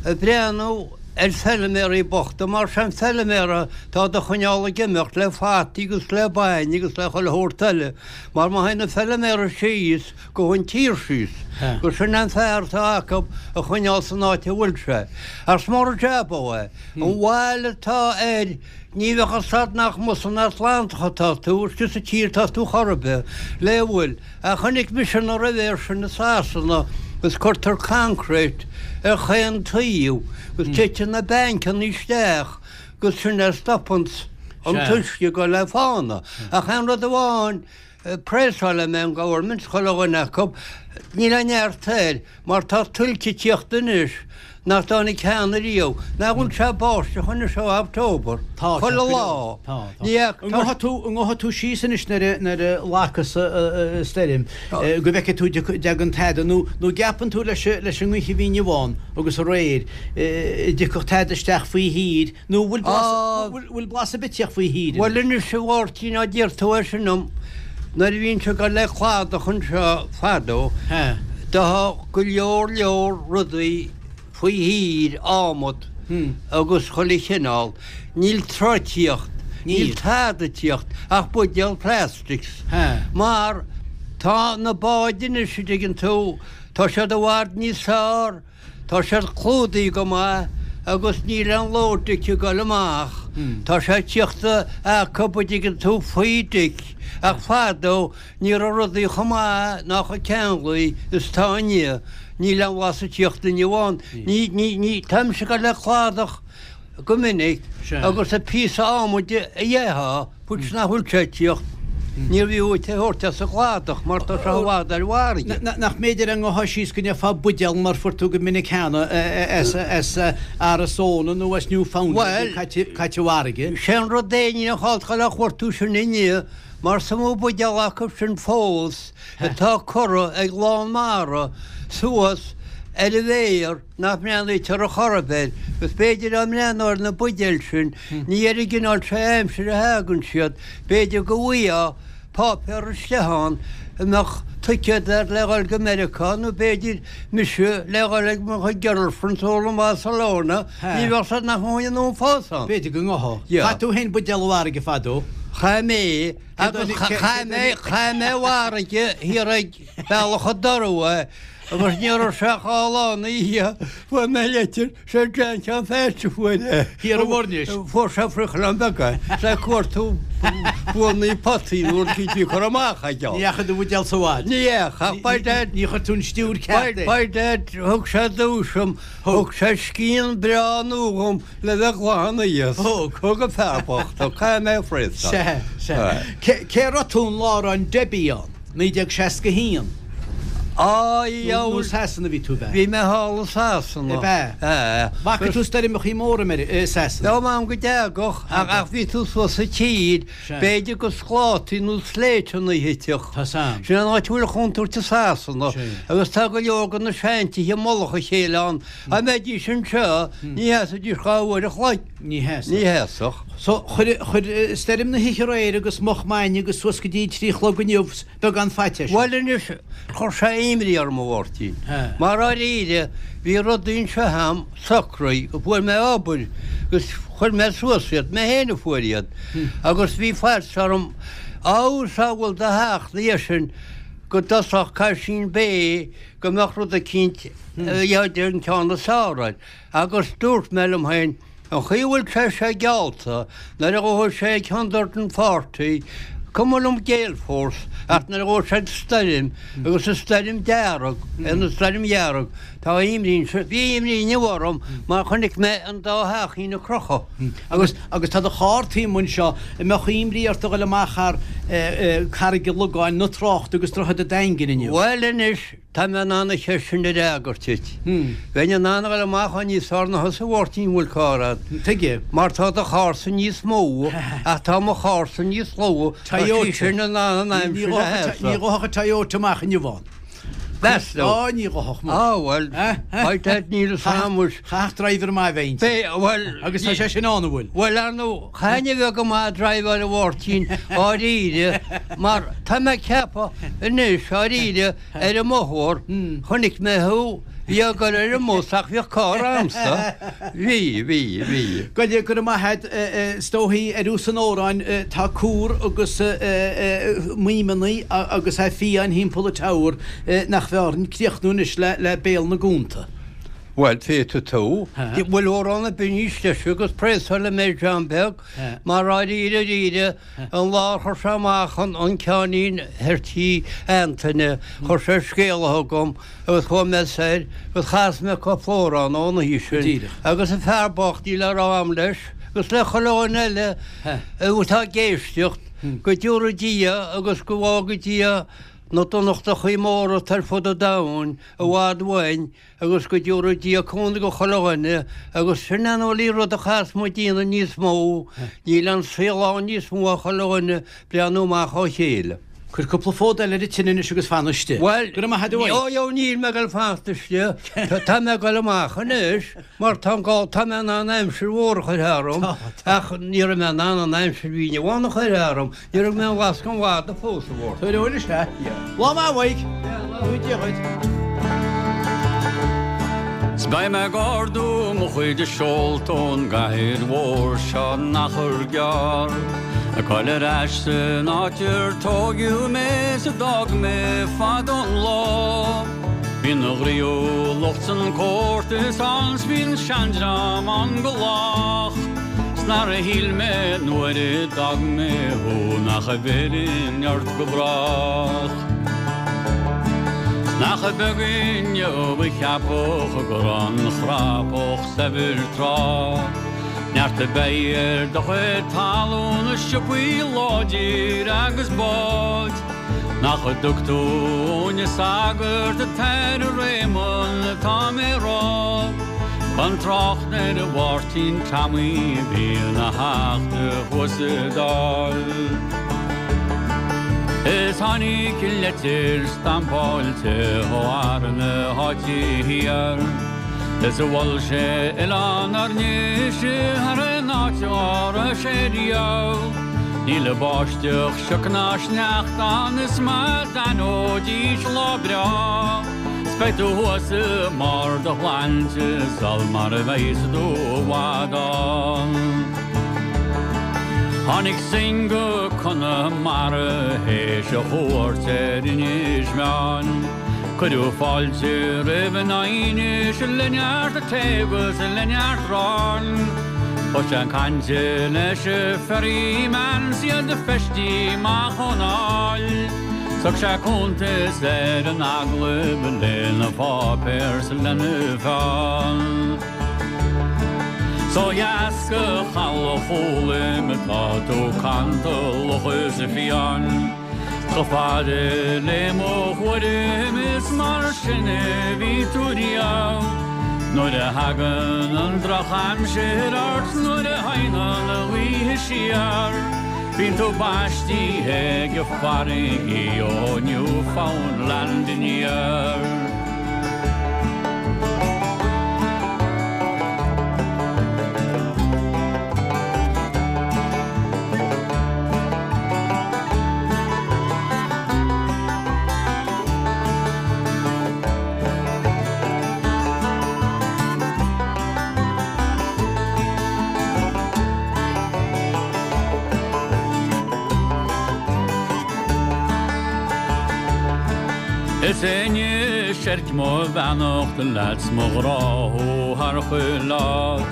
ag breathnú ar feilméaraí bochta mar sé an feilméara atá do choinneáil ag imeacht le fataí agus le bainne agus le chuile shórt eile mar má théann an feilméara síos gabhann an tír síos gur sin an fear atá acu a choinneáil san áit a bhfuil sé. Ach is mór an jab ó é. An bhail atá air ní bheadh fhios a'd nach amuigh san Atlantach atá tú, istigh sa tír atá tú chor ar bith, le bhfuil. Ach chonaic mise na rivers sin i Sasana agus cuirtear concrete ar chaon taobh agus titeann na bancanna isteach agus sin é stopanns an t-uisce ag dul le fána. Ach aon rud amháin, Praise-áilfidh mé an government, chuile dhuine acu, níl aon neart air mar tá tuilte ag tíocht anois nach dtáinig cheana riamh. Nach bhfuil sé ag báisteach anois ó October? Tá sé, Chuile lá. Tá, tá. Ní fhaca, An ngabhfaidh tú, an ngabhfaidh tú síos anois nuair a, nuair a ghlacas an stoirm, go bhfeicfidh tú an dtagann tada nó, nó gceapann tú leis, leis an ngaoth a bhí inniu ann agus aréir, a dtiocfadh tada isteach faoi thír nó bhfuil blas, bhfuil blas ar bith ag tíocht faoi thír anois? Bhuel anois a Mháirtín, á d'iarr tú é sin dom, Nuair a bhínnse ag dul le cladach anseo fadó, do go leor leor rudaí faoi thír, adhmad agus chuile chineál. Níl troigh ag tíocht, níl tada ag tíocht ach buidéal plastics. Mar tá na báid anois, a dtuigeann tú, tá siad i bhfad níos fearr, Tá siad clúdaithe go maith agus níl aon load deic ag dul amach. Tá sé ag tíocht acu a dtuigeann tú faoi deic ach fadó ní raibh rudaí chomh maith ná chomh ceanglaithe is atá inniu. Níl aon bhlas ag tíocht inniu ann. Ní, ní, ní, táimse ag dul le cladach go minic agus an píosa adhmaid a gheofá, puts nach bhfuil sé ag tíocht, níorbh fhiú duit é a thabhairt as an gcladach mar tá sé i bhfad ar an bhfarraige. Nach mb'fhéidir dá ngabhfá síos go ngeofá buidéal mar fuair tú go minic cheana as Arizona nó as Newfoundland caite i bhfarraige. Sé an rud é, níl aon chall dul á chuartú sin inniu mar is iomaí buidéal acu sin fós atá curtha ag lán mara suas ar an bhféar nach mbreathnaítear ar chor ar bith air, agus b'fhéidir dá mbreathnófá ar na buidéil sin, ní ar an gcineál seo aimsire a thagann siad, b'fhéidir go bhfaighfeá páipéar istigh ann a mbeadh ticéad air le dhul go Meiriceá, nó b'fhéidir mise le dhul ag mo chuid girlfriends ó i mBarcelona, ní bheadh siad nach mbeadh aon fós ann. B'fhéidir go ngabhfá. Chaith tú féin buidéal i bhfarraige fadó. Chaith mé, agus chaith mé, chaith mé i bhfarraige thiar ag Bealach an Dorú é, Agus ní raibh sé ach dhá lá ina dhiaidh, fuair mé litir, sé John Sheáin Pheaits a fuair é. Thiar i Muirnis. Fuair sé friochlann beag é, is é ag cuartú buannaí potaí nó rud éicint a bhí curtha amach aige. Ní dheachaigh do bhuidéal sa bhád. Ní dheachaigh, ach by dad. Ní chuir tú an stiúir ceart air. By dad, thug sé duais dom, thug sé scian breá nua dhom le bheith glan aníos. Thug. Thug an fear bocht, thug, caithfidh mé a phraosáil. Sea, sea. Cé raibh tú an lá a raibh an Debbie ann? naoi déag seasca a haon. Á, Nó Sasana bhí tú bheith? Bhí mé thall i Sasana. Ab ea? Ea. Bhfaca tú stoirmeachaí móra i Sasana? Dá m'am go dteagadh, ach bhí tú suas sa tír, b'fhéidir go sclátaí nó sléibhteanna a thitfeadh. Tá sam. Sin an áit a bhfuil an chontúirt i Sasana. Agus tá go leor de na seantithe i mullach a chéile ann. Dá mbeidís anseo, ní sheasfaidís dhá uair a chloig. Ní sheasfadh. Ní sheasfadh. So, chuir, chuir stoirm na hoíche aréir agus moch maidne agus suas go dtí trí chlog inniu beagán faitíos. Bhuel anois, chuir sé imní orm, a Mháirtín. Mar dháiríre, bhí rudaí anseo a'm socraithe, go bhfuair mé obair agus chuir mé suas iad, mé féin a fuair iad. Agus bhí faitíos orm, abhus a bhfuil do theacht ina dhiaidh sin go dtosódh Caisín Bay go mbeadh rud eicínt a dhéanamh an ceann is fearr air. Agus dúirt mé liom féin, An chaoi a bhfuil sé seo geallta, nuair a ghabhfaidh sé ag hundred and forty, cuma liom gale force, ach nuair a ghabhfaidh sé stoirm, agus an stoirm dearg, an stoirm dhearg, tá imní anseo, bhí imní inniu orm mar chonaic mé an dá theachín ag crochadh. Agus, agus tá do charr taobh amuigh anseo, an mbeadh imní ort a dhul amach thar Carraig an Logáin, na tráchta agus Droichead an Daingin inniu? Bhuel anois, Tá mé in ann an cheist sin a fhreagairt duit. Bheinn in ann a dhul amach ann níos fearr ná thusa a Mháirtín an bhfuil carr a'd. Tuige? Mar tá do charr-sa níos mó ach tá mo charr-sa níos lú, tá sí sin in ann an aimsir a sheasamh. Ní ghabhfadh an Toyota amach inniu ann. Meas tú? Á, ní ghabhfadh muis. Á, bhuel, beidh that níl fhios a'm muis. Chaithfeadh driver maith a bheith inti. Beidh, bhuel. Agus tá sé sin ann, an bhfuil? Bhuel, ar ndóigh, chaithfinn a bheith go maith ag driveáil a Mháirtín, dháiríre, mar tá mé ag ceapadh anois, dháiríre, ar an mbóthar, chonaic mé thú, bhí ag dul ar an mbus ach bhíodh carr a'msa. Bhí, bhí, bhí. Go go raibh maith a'd, is dóichí ar thús an amhráin, tá cúr agus maidhmeanna agus é fiáin thimpeall an tower nach bhfearr an críochnú anois le Béal na gCúnta. Bhuel, féadfaidh tú. Bhfuil amhrán ar bith níos deise agus préasáil mé John Beag mar dháiríre dáiríre an lá a chuir sé amach an ceáinnín thoir tí Antaine, chuir sé scéala chugam agus chuaigh mé soir agus chas mé cúpla amhrán ón oíche sin agus an fear bocht níl le rá a'm leis agus le chuile dhuine eile atá ag éisteacht go dtabharfaidh Dia agus go bhfágaidh Dia na donachtachaí móra atá ar fud an domhain i bhfad uainn agus go dtabharfaidh Dia cúnamh do chuile dhuine agus sin an only rud a chaithfeas muid déanamh níos mó, níl an saol ann níos mó ach chuile dhuine breathnú amach á chéile. Cuir cúpla fód eile ar an tine anois agus fan istigh. Bhuel, Go raibh maith agat uaidh. ó, ó, níl mé ag dul fanacht istigh, tá mé ag dul amach anois mar tá an gá, tá mé in ann aimsir mhór a chur tharam ach ní raibh mé in ann an aimsir a bhí inniu ann a chur tharam. Ní raibh mé ag lascadh an mhada fós, a Mháirtín. Tabhair eolas é. Lá maith uaidh. Dia dhuit. 'S beidh mé ag ardú mo chuid seolta ón gcathair mhór seo in achar gearr, Ag dul ar ais san áit ar tóigeadh mé 's a d'fhág mé fadó an lá. Bíonn an ghnaíúlacht 's an comórtas ann 's bíonn seandream ann go lách. 'S nár shíl mé nuair a d'fhág mé thú nach bhfillfinn ort go brách. 'S nach beag inniu a cheapfadh go raibh an chrapach saibhir tráth. Neart a bheidh ar do chuid talún is siopaí láidir agus báid. Nach dtug tú uainne sagart atá i Réamonn atá mé rá. Gan trácht ar Mháirtín Tommy a bhí ina theachta thuas sa Dáil. Is tháinig leitir stampáilte ó fhear na háite thiar. Is a mhol sé Oileán ár nDéise thar aon áit dá raibh sé riamh. Níl báisteach, sioc ná sneachta ann is má d'aithneoidís lá breá. 'S beidh tú thuas i mbarr do shláinte sul mar a bheas tú i bhfad ann. Tháinig Synge go Conamara théis a chuairt ar Inis Meáin. Cuireadh fáilte roimh in Inis le neart tae agus le neart aráin. Thosaigh sé ag caint leis an ferryman 's iad feistithe amach ón áil. 'S thug sé cuntas ar an agallamh lena pháipéar 's lena pheann. 'S ó dheas go Caladh Chóilm atá tú cantalach is fiáin. Chomh fada le mo thuairim is mar sin a bhí tú riamh. Nuair a thagann an drochaimsir ort nuair a théann an ghaoth siar, Bíonn tú baistithe ag an bhfarraige ó Newfoundland aniar. Is éinne seirc mo bheannacht leat mo ghrá thar chuile áit.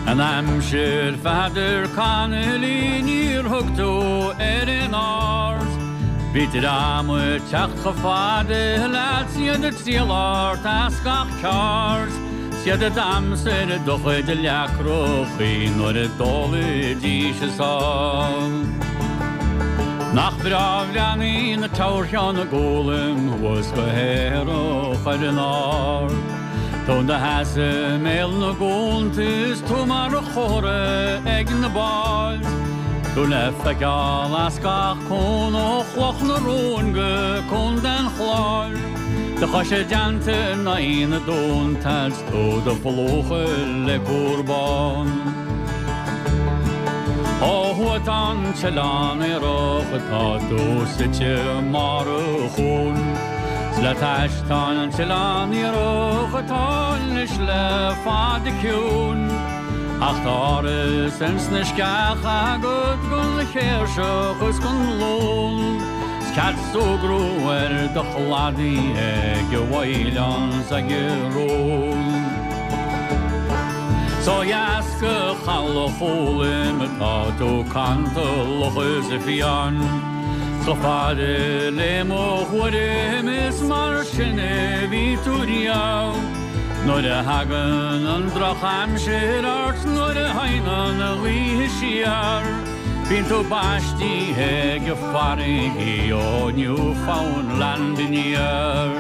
An aimsir Pheadair Connolly níor thug tú ar an aird. Bhí dream ag teacht chomh fada leat iad ag triall ort as gach ceard. Siad a d'aimsigh do chuid leacrachaí nuair a d'ólaidís a sáith. Nach breá bhreathnaíonn na Teamhair-Cheann Gólaim thuas go haerach ar an ard. Tú i do sheasamh i mbéal na gcuanta is tú mar chomhartha ag na báid. Tú le feiceáil as gach cuan ó Chloch na Rón go Contae an Chláir. Do chois i dteannta in aghaidh na dtonnta is tú do phlúchadh le cúr bán. Ó thuaidh tá an t-oileán aerach atá tú suite i mbarr an chuain. 'S le t'ais tá an t-oileán aerach atá anois le fada ciúin. Ach tá áras ins na sceacha agat gon chéirseach is gon lón. 'S cead súgradh ar do chladaí ag an bhfaoileán 's ag an rón. 'S ó dheas go Chaladh Chóloim atá tú cantalach is fiáin. Chomh fada le mo thuairim is mar sin a bhí tú riamh. Nuair a thagann an drochaimsir ort nuair a théann an ghaoth siar, Bíonn tú baistithe ag an bhfarraige ó Newfoundland aniar.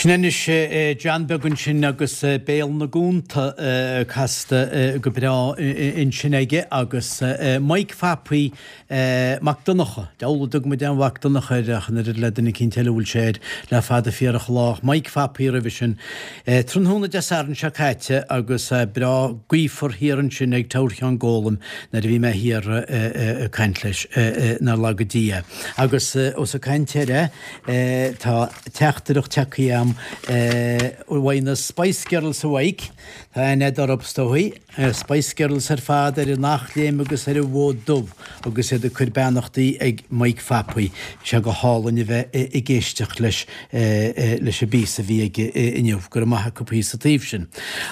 Sin anois John Beag ansin agus Béal na gCuanta casta go breá ansin aige agus Mike Phapaí Mac Donncha. Deabhal a dtug muid aon Mhac Donncha air ach an oiread le duine eicínt eile a bhfuil sé air le fada fíorach lá. Mike Phapaí roimhe sin. Tráthnóna Dé Sathairn seo caite agus breá gaofar thiar ansin ag Teamhair Cheann Gólaim nuair a bhí mé thiar ag caint leis nár laga Dia. Agus ós ag caint air é tá teachtaireacht tagtha agam uaidh na Spice Girls a Mhaidhc. Tá aithne agat orthu is dóigh. Spice Girls ar fad ar an Eachléim agus ar an bhFód Dubh agus iad ag cur beannachtaí ag Mike Phapaí. Bhí sé go hálainn a bheith ag éisteacht leis leis an bpíosa a bhí aige inniu. Go raibh maith acu sa taobh sin.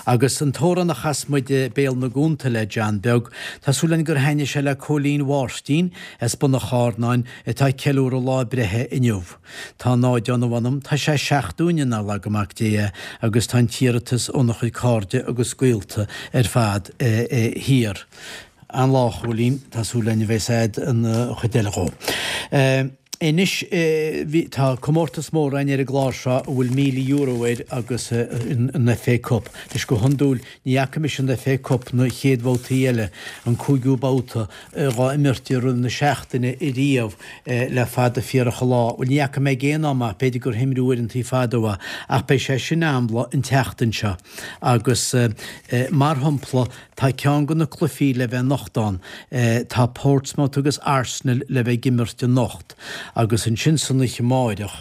Agus an t-amhrán a chas muid Béal na gCuanta le John Beag, tá súil againn gur thaitnigh sé le Cóilín Mháirtín as Bun an Chárnáin atá ag ceiliúradh lá breithe inniu. Tá náid ann a mh'anam, tá sé seacht dúinne nár laga Mac Dé é agus tá an t-iarratas óna chuid cairde agus gaolta ar fad thiar. An-lá a Chóilín, tá súil againn a bheas a'd an chuid eile dhó. Anois tá comórtas mór againn ar an gclár seo a bhfuil míle euro air agus an FA Cup. Anois go hiondúil ní fhaca mise an FA Cup na chéad bhabhtaí eile, an cúigiú babhta, dhá imirt i rith na seachtaine ariamh le fada fíorach an lá. Bhuel ní fhaca mé ag aon am ach b'fhéidir gur himríodh uaireantaí fadó é ach beidh sé sin amhlaidh an tseachtain seo. Agus mar shampla tá ceann de na cluichí le bheith anocht ann. Tá Portsmouth agus Arsenal le bheith ag imirt anocht. Agus ansin san oíche amáireach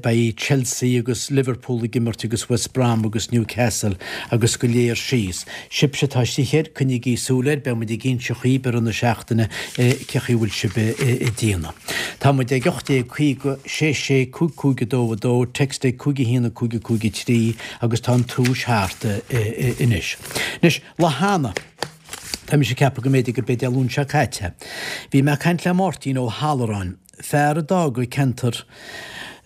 beidh Chelsea agus Liverpool ag imirt agus West Brom agus Newcastle agus go léir síos. Sibhse atá istigh air, coinnígí súil air, beidh muid ag inse dhaoibh i rith na seachtaine cé chaoi a bhfuil sibh ag déanamh. Tá muid ag ocht déag caoga, sé sé, cúig cúig a dó a dó, text ag cúig a haon a cúig a cúig a trí agus tá an tomhais thart anois. Anois, lá cheana, tá mise ag ceapadh go mb'fhéidir gurb é Dé Luain seo caite, bhí mé ag caint le Máirtín Ó hAlluráin, fear a d'fhág an ceantar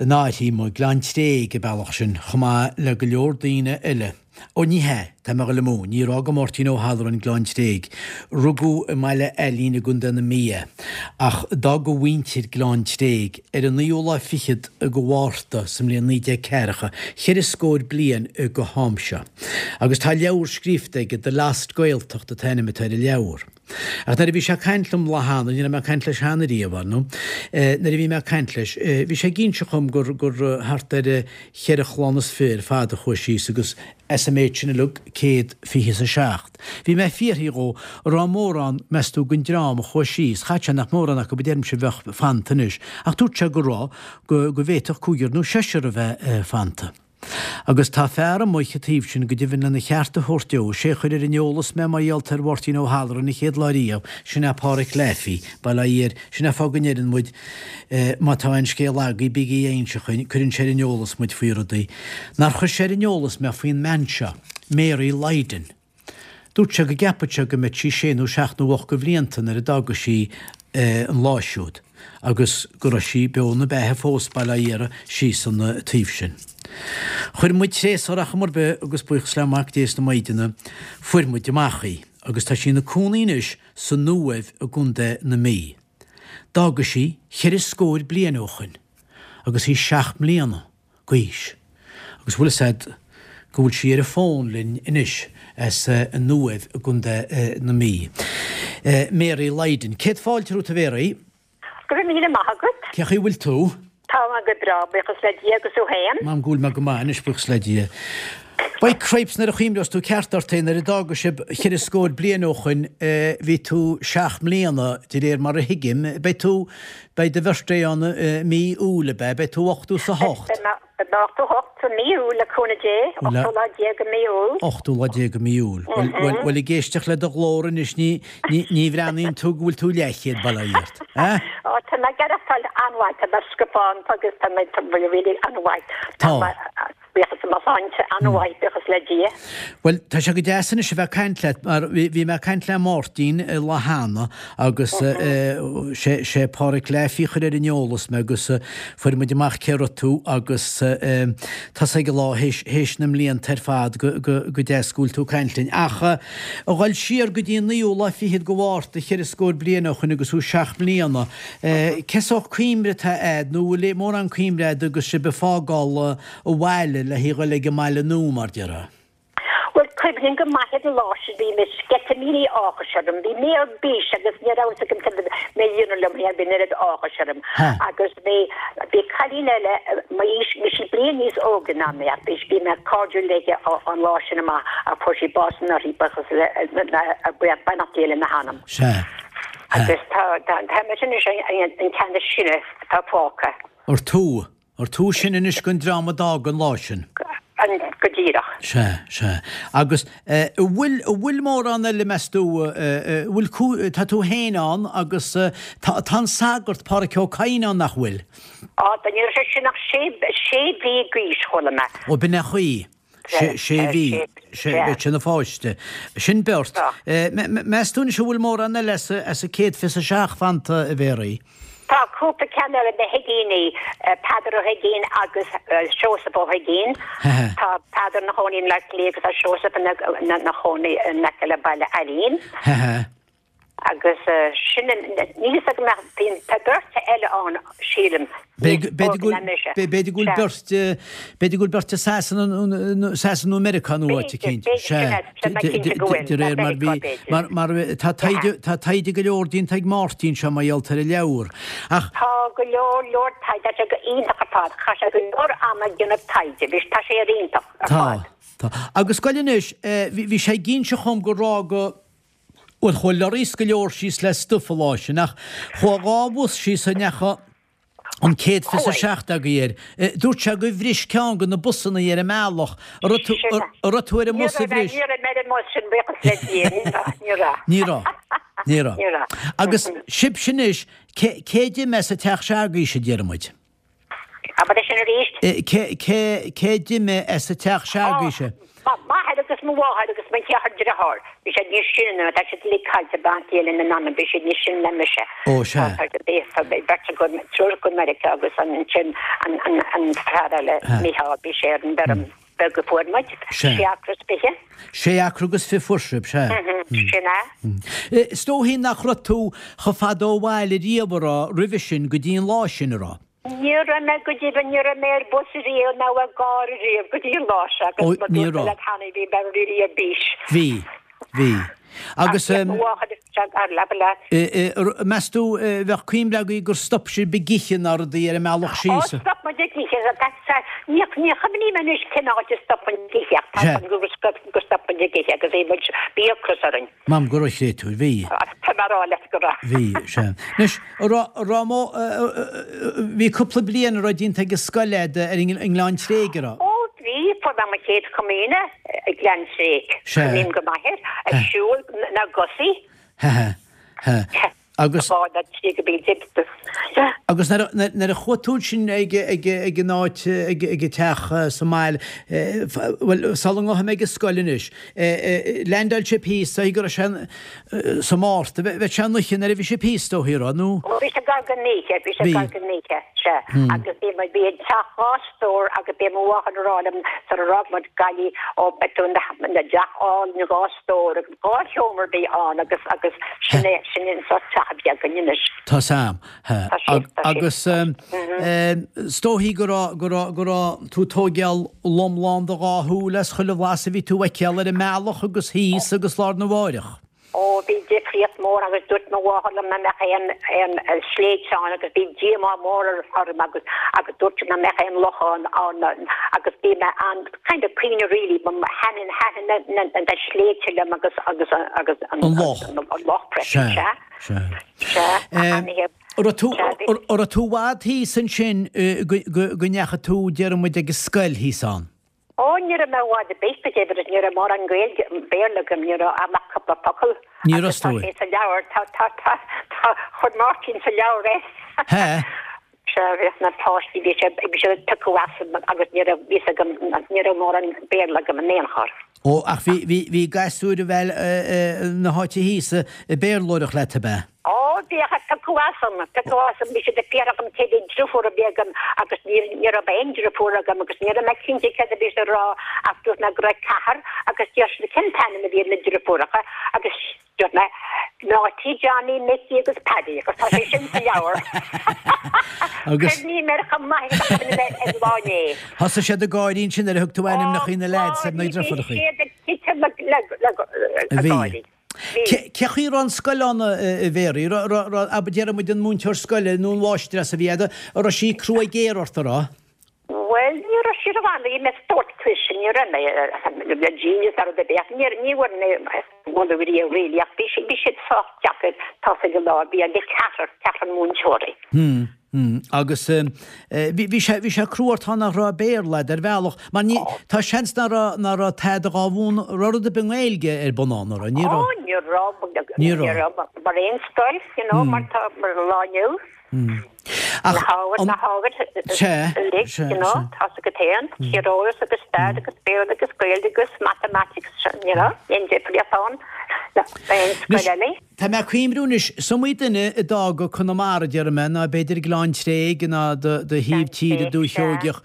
in Áirthím, Gleann Tréig, an bealach sin, chomh maith le go leor daoine eile. Ó ní hea, tá mé ag dul amú, níor fhága Máirtín Ó hAlluráin Gleann Tréig. Rugadh i mBaile Ailín i gContae na Mí é, ach d'fhág a mhuintir Gleann Tréig ar an naoú lá fichead de Mhárta sa mbliain naoi déag ceathracha, cheithre scór bliain go ham seo. Agus tá leabhar scríofa aige, The Lost Gaeltacht an t-ainm atá ar an leabhar. Ach nuair a bhí sé ag caint liom lá cheana, ní raibh mé ag caint leis cheana riamh, ar ndóigh, nuair a bhí mé ag caint leis, bhí sé ag inse dhom gur, gur thart ar cheithre chlann is fiche ar fad a chuaigh síos agus as an méid sin uilig, céad fiche is a seacht. Bhí mé ag fiafraí dhó, an raibh mórán, meas tú, den dream a chuaigh síos, chaithfeadh sé nach mórán acu a deirimse a bheadh fanta anois, ach dúirt sé go raibh, go, go bhféadfadh cúigear nó seisear a bheith fanta. Agus tá fear amuigh an taobh sin, go deimhin lena cheart a thabhairt dó, sé a chuir ar an eolas mé mar gheall ar Mháirtín Ó hAlluráin an chéad lá riamh, sin é Páraic Laffey, bail ó Dhia air, sin é an fáth go ndeireann muid, má tá aon scéal agaibh, bígí á inse chugainn, cuireann sé ar an eolas muid faoi rudaí. Nár chuir sé ar an eolas mé faoin mbean seo, Mary Lydon. Dúirt sé go gceapfadh sé go mbeadh sí sé nó seacht nó ocht de bhlianta nuair a d'fhága sí an lá siúd agus go raibh sí beo ina beatha fós, bail ó Dhia uirthi, síos an taobh sin. Chuir muid tréas ar chuma ar bith agus buíochas le Mac Dé is na Maighdine fuair muid amach í agus tá sí ina cónaí anois san Uaimh i gContae na Mí. D'fhága sí cheithre scór bliain ó shoin agus í seacht mbliana d'aois agus bhfuil fhios a'd go bhfuil sí ar an bhfón linn anois as an Uaimh i gContae na Mí. Mary Lydon. Céad fáilte romhat a Mhary. Go raibh míle maith agat. Cén chaoi a bhfuil tú? Tá mé go breá, buíochas le Dia, agus tú féin? M'anam go bhfuil mé go maith anois, buíochas le Dia. By cripes, nuair a chuimhneos tú ceart ort é, nuair a d'fhága sibh cheithre scór bliain ó shoin, bhí tú seacht mbliana, de réir mar a thuigim. Beidh tú, beidh do birthday ann i mí Iúil, ab ea? Beidh tú ochtó is a hocht. Beidh mé ochtó a hocht i mí Iúil, le cúnamh Dé, ochtú lá déag i mí Iúil. Ochtú lá déag i mí Iúil. Bhuel, bhuel, bhuel, ag éisteacht le do ghlór anois, ní, ní, ní bhreathnaíonn tú go bhfuil tú leathchéad, bail ó Dhia ort. Eh? Ó, tá mé ag aireachtáil an-mhaith, tá mé scafánta agus tá mé, tá mé really an-mhaith. Tá. Buíochas mo shláinte an-mhaith, buíochas le Dia. Bhuel, tá sé go deas anois a bheith ag caint leat, mar bhí mé ag caint le Máirtín lá cheana agus sé sé Páraic Laffey a chuir ar an eolas mé agus fuair muid amach cé raibh tú agus tá sé ag an lá théis théis na mblianta ar fad go go go deas go bhfuil tú ag caint linn. Ach a dhul siar go dtí an naoú lá fichead de Mhárta cheithre scór bliain ó shoin agus thú seacht mbliana, cén sórt cuimhne atá a'd nó bhfuil mórán cuimhne a'd agus sibh ag fágáil an bhaile le haghaidh dhul ag an mbaile nua, mar déarfá. Bhuel, cuimhním go maith ar an lá sin, bhí mé sceitimíní áthais orm, bhí mé ar bís agus ní raibh fhios agam cad a bhí mé a dhéanamh liom féin, bhí an oiread áthais orm. Agus bhí, bhí cailín eile m'aois, bhí sí bliain níos óige ná mé ach bhí, bhí mé cairdiúil léi ón lá sin amach ach fuair sí bás anuraidh, buíochas le, beannacht Dé lena hanam. Sea. Agus tá, tá, tá mise anois an ceann is sine atá fágtha. Ar tú? Ar tú is sine anois den dream a d'fhág an lá sin? An, go díreach. Sea, sea. Agus eh, an bhfuil, an bhfuil mórán eile, meas tú, eh, an bhfuil cú, tá tú féin ann agus eh, tá, tá an sagart Páraic Ó Cadhain ann, nach bhfuil? Á, tá, ní raibh sé sin ach sé, sé mhí d'aois, chuala mé. Ó, b'in é an chaoi. Sé, sé mhí. Sé, bheadh sé ina pháiste. Sin beirt. Meas tú anois an bhfuil mórán eile as, as an céad fiche is a seacht fanta, a Mhéaraí? Tá cúpla ceann eile, na hUigínní, Peadar Ó hUigínn agus Seosamh Ó hUigínn. Tá Peadar ina chónaí i mBleá Cliath agus tá Seosamh ina chónaí in aice le Baile Ailín. Agus sin, níl fhios agam ach bíonn, tá beirt eile ann, sílim, níos óige ná mise. B'fhéidir go bhfuil beirt, b'fhéidir go bhfuil beirt i Sasana, Sasana nó Meiriceá nó áit eicínt. B'fhéidir, b'fhéidir sin é, tá mé cinnte go bhfuil, De réir mar bhí, mar, mar tá taighde, tá taighde go leor déanta ag Máirtín seo mar gheall ar an leabhar. Ach. Tá go leor, leor taighde, tá sé go iontach ar fad, chaith sé go leor ama ag déanamh taighde, bhí, tá sé ar iontach ar fad. Tá, tá. Agus goil anois, bhí, bhí sé ag inse dhom gur fhág, Bhuel, chuaigh lorraí is go leor síos le stuif an lá sin, ach chuaigh dhá bhus síos a ndeachaigh an céad fiche a seacht agaibh air. Dúirt sé gur bhris ceann de na busanna ar an mbealach. An raibh tú, an raibh tú ar an mbus a bhris? Ní raibh mé ar an mbus sin, buíochas le Dia, ní raibh, ní raibh. Ní raibh, ní raibh. Ní raibh. Agus sibhse anois, cé, cé d'imigh as an teach se'agaibhse, a deir muid? Abair é sin arís. Cé, cé, cé d'imigh as an teach se'agaibhse? M'athair agus agus mo mháthair agus mo cheathrar deartháir. Bhí siad níos sine ná, tá siad uilig caillte bean chéile na n-anam, bhí siad níos sine ná mise. Ó, sea. Tá bhí beirt acu, triúr acu i Meiriceá agus ansin an, an, an fear eile, Micheál, bhí sé ar an bhfeirm bheag a fuair muid, Sea. sé acra is fiche. Sé acra agus fiche fuair sibh, sea. Sin é. Is dóichí nach raibh tú chomh fada ó bhaile riamh, a raibh, roimhe sin go dtí an lá sin, a raibh? Ní raibh mé go deimhin, ní raibh mé ar bus riamh ná i gcarr riamh go dtí an lá seo Ó, agus mar ní dúirt mé raibh. leat cheana bhí mé really ar bís. Bhí, bhí. Agus Ach mo mháthair isteach ar leaba leat. meas tú bheadh cuimhne agaibh gur stop sibh ag ithe nó rudaí ar an mbealach Ó, síos? stop muid ag ithe, ní ní chuimhním anois cén áit a stop muid ag ithe ach tá Sea. an gur gur stop muid ag ithe agus bhí muid bhí ocras orainn. Mam go raibh créatúr, bhí. Tá mé a rá leat go raibh. Bhí, sea. Anois, raibh mo, bhí cúpla bliain a raibh déanta ag an scoil agat ar an nGleann Tréig, a raibh? Ó, bhí, fuair mé mo chéad chomaoine i nGleann Tréig. Sea. Cuimhním go maith air, ag siúl na gcosaí. He, he, he. Agus. Bá na trí go bí dib. Agus nuair a chuaigh tú sin ag ag ag an áit ag ag an teach sa mbaile, bhuel, sula ngabhfaidh mé ag an scoil anois, leaindeáil sibh thíos, go raibh sé sa Márta, bheadh sé an oíche nuair a bhí sibh thíos, is dóichí, raibh, nó? Ó, bhí sé gar don oíche, bhí sé gar don oíche, sea. Agus bhí muid, bhí an teach dhá stór agus bhí mo mháthair ag rá liom sar a d'fhág muid Gaillimh, ó, beidh tú ina dteach álainn dhá stór agus dhá sheomra a bhí ann agus, agus sin é, sin é an sórt teach a bhí againn anois. Tá Sam. Tá sé, tá sé. Agus is dóichí go raibh, go raibh, go raibh tú ag tógáil lom lán do dhá shúil as chuile bhlas a bhí tú a fheiceáil ar an mbealach agus thíos agus lá arna mháireach. Ó, bhí difríocht mór agus dúirt mo mháthair liom nach mbeadh aon, aon sléibhte ann agus bhí díomá mór orm agus, agus dúirt sí nach mbeadh aon lochán ann agus bhí mé an kind of cuimhne really, thaitin, thaitin na, na, na sléibhte liom agus, agus, agus An loch. An loch freisin, Sea, sea. sea. Sea, An raibh tú, an raibh tú i bhfad thíos ansin go, go, go ndeachaigh tú, déarfaidh muid, ag an scoil thíos ann? Ó, ní raibh mé i bhfad ar bith, go deimhin, ní raibh mórán Gaeilge, Béarla agam, ní raibh ach cúpla focal. Ní raibh Agus tá is dóigh. sé sa leabhar, tá, tá, tá, tá, chuir Máirtín sa leabhar é. He. Sea, bhíodh na páistí, bhí sé, bhí sé piocadh asam agus ní raibh fhios agam, ní raibh mórán Béarla agam in aon chor. Ó, ach bhí, bhí, bhí gasúir a bheil na háite thíos ag Béarlóireacht leat, ab ea? Ó, bhíodh ag piocadh asam, piocadh asam, bhí siad ag fiafraí dhíom cé mhéad driofúr a bhí agam agus ní, ní raibh aon driofúr agam agus ní raibh mé cinnte céard a bhí siad ag rá ach dúirt mé go raibh ceathrar agus deir siad cén t-ainm a bhí ar na driofúracha agus dúirt mé Náití, Johnny, Mickey agus Paddy agus tá sé sin sa leabhar. Agus. Cuimhním air chomh maith agus a chuimhnigh mé ar lá inné. Thosaigh siad ag gáirí ansin nuair a thug tú Ó, ainmneacha na leaids ar na gáirí, bhí driofúracha. siad ag titim le, le, le, A le bhí. gáirí. Bhí. Cé chaoi a raibh an scoil ann, a Mhéaraí? Abair, déarfaidh muid an múinteoir scoile nó an mháistreás a bhí agat, an raibh sí crua géar ort, an raibh? Bhuel, ní raibh sí rómhall, bhí mé spórt cuis, ní raibh mé le genius ar rud ar bith, ach ní ní bhfuair mé moladh riamh really, ach bhí bhí siad sách deacair tosaigh an lá, bhí an ceathrar, ceathrar múinteoirí. Hmm, hmm. Agus bhí bhí sé bhí sé crua ort nach raibh Béarla agat ar bhealach, mar ní tá seans nach raibh nach raibh tada dhá mhúineadh rud ar bith i nGaeilge ar bun ann, an raibh? Ní Ó, raibh. ní raibh, Ní ní raibh. raibh, mar aon scoil, you know, mar tá mar lá inniu. Ach Na hábhair, an na hábhair Sea, uilig, sea, you know, sea. tá a fhios agat féin, tíreolas agus stair agus Béarla agus Gaeilge agus matamaitic, you know, aon difríocht ann le aon Anois, scoil eile. tá mé ag cuimhniú anois, is iomaí duine a d'fhága Conamara, déarfaidh mé, ná b'fhéidir Gleann Tréig ná do, do thaobh Gleann tíre Tréig, Dúiche sea. Sheoigeach.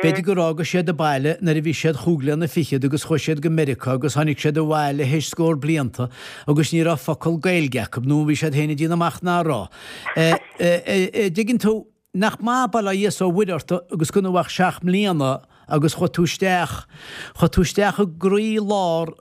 B'fhéidir gur fhága siad an baile nuair a bhí siad chúig bliana fichead agus chuaigh siad go Meiriceá agus tháinig siad abhaile théis scór blianta agus ní raibh focal Gaeilge acu nó bhí siad féin ag déanamh amach nach raibh. Eh, eh, eh, eh, dtuigeann tú nach maith bail ó Dhia is ó Mhuire ort agus gan ach seacht mbliana agus chuaigh tú isteach, chuaigh tú isteach i gcroí lár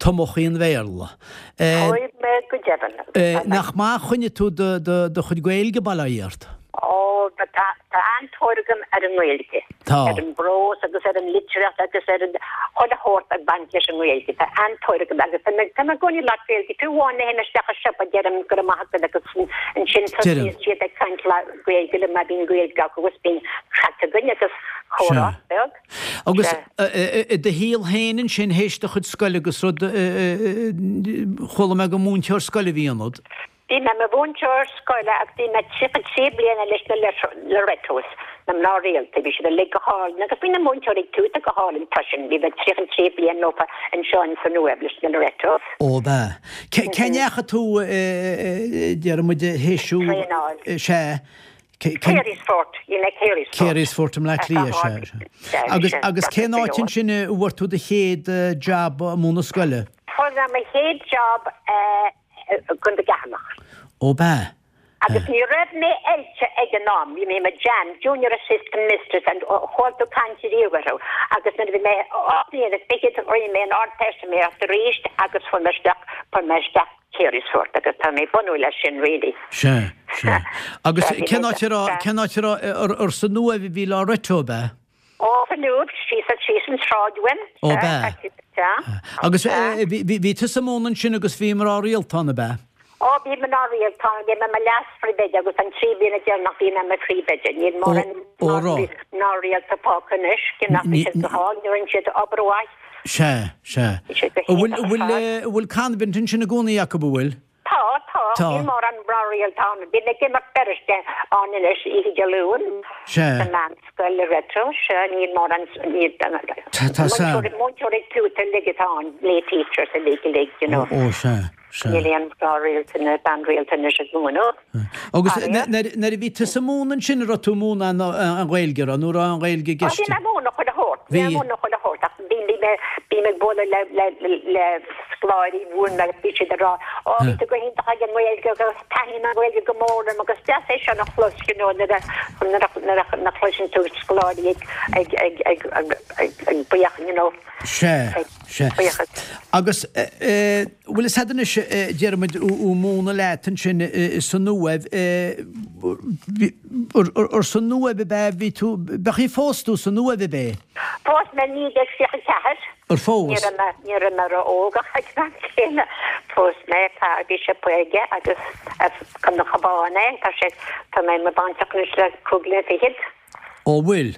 tumachí an Bhéarla. Eh, Chuaigh mé go deimhin. eh, nach maith a choinnigh tú do, do, do chuid Gaeilge bail ó Dhia ort? Ó, ba tá tá an-tóir agam ar an nGaeilge. Tá. Ar an bprós agus ar an litríocht agus ar an chuile shórt ag baint leis an nGaeilge. Tá an-tóir agam agus tá mé tá mé i gcónaí ag labhairt Gaeilge. Fiú amháin nuair a théim isteach i siopa deirim go raibh maith agat agus ansin Deireann. tosaíonn siad ag caint le Gaeilge liom má bhíonn Gaeilge acu agus bíonn craic againn agus comhrá Sea. beag. Agus Sea. i do shaol féin ansin théis do chuid scoile agus rud chuala mé gur múinteoir scoile a bhí ionat. Bhí mé i mo mhúinteoir scoile agus bhí mé tríocha trí bliana leis na Loretos. na mná rialta, bhí siad uilig go hálainn agus bhí na múinteoirí tuata go hálainn freisin, bhí mé tríocha trí bliain leofa anseo in san Uaimh leis na Loretos. Ó b'ea. Cé ndeachaigh tú, déarfaidh muid, théis Traenáil. Sea. Carysfort, you know Carysfort. Carysfort i mBleá Cliath, sea, sea. Agus, agus cén áit ansin a bhfuair tú do chéad jab ag múineadh scoile? Fuair mé mo chéad job i gContae Cheatharlach. Ó b'ea. Agus ní raibh mé oilte ag an am, bhí mé i mo JAM, Junior Assistant Mistress, and chuala tú caint ariamh orthu. Agus nuair a bhí mé ocht mbliana is fiche rinne mé an Ardteistiméireacht arís agus fuair mé isteach, fuair mé isteach Carysfort agus tá mé bródúil as sin really. Sea, sea. Agus cén áit a raibh, cén áit a raibh, ar san Uaimh a bhí Loreto, ab ea? Ó, san Uaimh, síos, síos an tsráid uaim. Ó, b'ea. Sea. Agus bhí tusa ag múineadh ansin agus bhí mná rialta ann, ab ea? Ó, bhí mná rialta ann, bhí mé i mo leas-phríomhoide agus an trí bliana deireanach bhí mé i mo phríomhoide. Níl mórán mná rialta fágtha anois, cé nach bhfuil siad go hálainn, rinne siad obair mhaith. Sea, sea. An bhfuil, an bhfuil, an bhfuil convent ansin i gcónaí acu, an bhfuil? Tá, tá. Tá. Níl mórán mná rialta ann. Bím ag imeacht beirt ann anois oíche Dé Luain. Sea. Sa meánscoil Loreto, sea, níl mórán, níl, Tá, tá, sea. múinteoirí tuata uilig atá ann, lay teachers uilig, uilig, you know. Ó, sea. Sea. Níl aon mhná rialta ná bean rialta anois ag múineadh. Agus nuair a bhí tusa ag múineadh ansin, an raibh tú ag múineadh an Ghaeilge, an raibh, nó an raibh an Ghaeilge i gceist? Bhí mé ag múineadh chuile shórt. Bhí mé ag múineadh chuile shórt ach bhí mé bím ag bualadh le le le scoláirí mhúin mé agus bhí siad ag rá Ó bhí tú go hiontach ag an nGaeilge agus taitníonn an Ghaeilge go mór liom agus deas é sin a chlos you know nuair a nuair a nuair a chloiseann tú scoláirí ag ag ag ag ag ag buíoch you know. Sea, sea. Agus bhfuil fhios a'd anois, déarfaidh muid, ó múineadh leat ansin san Uaimh, ar san Uaimh ab ea bhí tú, b'é phós tú san Uaimh ab ea? Phós mé naoi déag tríocha ceathair. Ar phós? Ní raibh mé, ní raibh mé ró-óg ach ag an am céanna. Phós mé, fear, bhí sé caoga agus as chun an Chabháin é, tá sé, tá mé i mo bhaintreach anois le cúig bliana fichead. Ó bhfuil?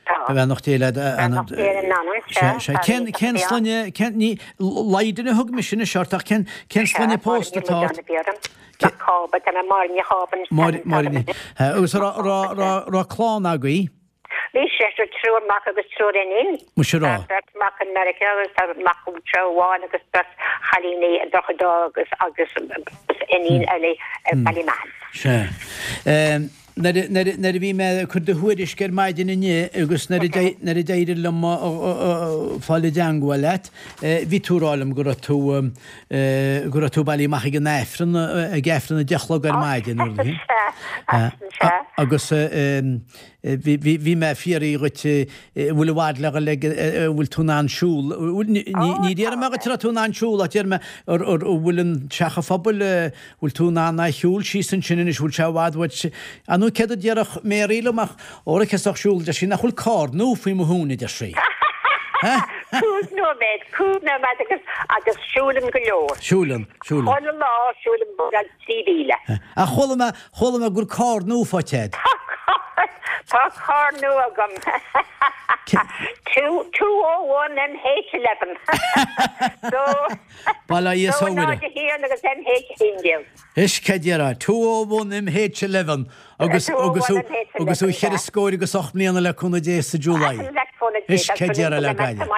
Tá. Beannacht Dé leat. Beannacht Dé lena anam, Sea, sea. sea. Cén, cén sloinne, cén, ní, Lydon a thug mise anois ort ach cén, cén sloinne pósta atá ort? Mac Cába, tá mé Máire Ní Chába anois. Máire, Máire Ní, agus raibh, raibh, raibh, raibh clann agaibh? Bhí seisear, triúr mac agus triúr iníon. Muise raibh. Tá beirt mac i Meiriceá agus tá mac anseo amháin agus beirt chailíní i Droichead Átha agus, agus iníon eile i Ballymahon. Sea. Nuair a bhí mé ag cur do thuairisc ar maidin inniu agus nuair a d'éirigh liom fáil i dteangmháil leat, bhí tú ag rá liom go raibh tú go raibh tú bailithe amach ag an Aifreann, ag Aifreann a deich a chlog ar maidin. Agus bhí mé ag fiafraí dhuit an bhfuil i bhfad le dhul ag, an bhfuil tú in ann siúl, ní déarfaidh mé dhuit an raibh tú in ann siúl ach déarfaidh mé an bhfuil an teach an phobail, bhfuil tú in ann a shiúl síos ansin anois, bhfuil sé i bhfad uait? Ar ndóigh céard a déarfadh Mary liom ach óra cé sách siúl, deir sí, nach bhfuil carr nua faoi mo thóin, a deir sí. Cúig nóiméad, cúig nóiméad agus agus siúlaim go leor. Siúlann, siúlann. Chuile lá siúlaim beagnach trí mhíle. Ach chuala mé, chuala mé go bhfuil carr nua faighte a'd. Tá carr, tá carr nua agam. Two, two oh one MH eleven. So, Bail ó Dhia is dó ó Mhuire. náid a haon agus MH a haon déag. Is cad déarfá, two oh one MH eleven agus agus thú agus thú cheithre scór agus ocht mbliana le cúnamh Dé sa July. Is cad déarfá le Gaillimh.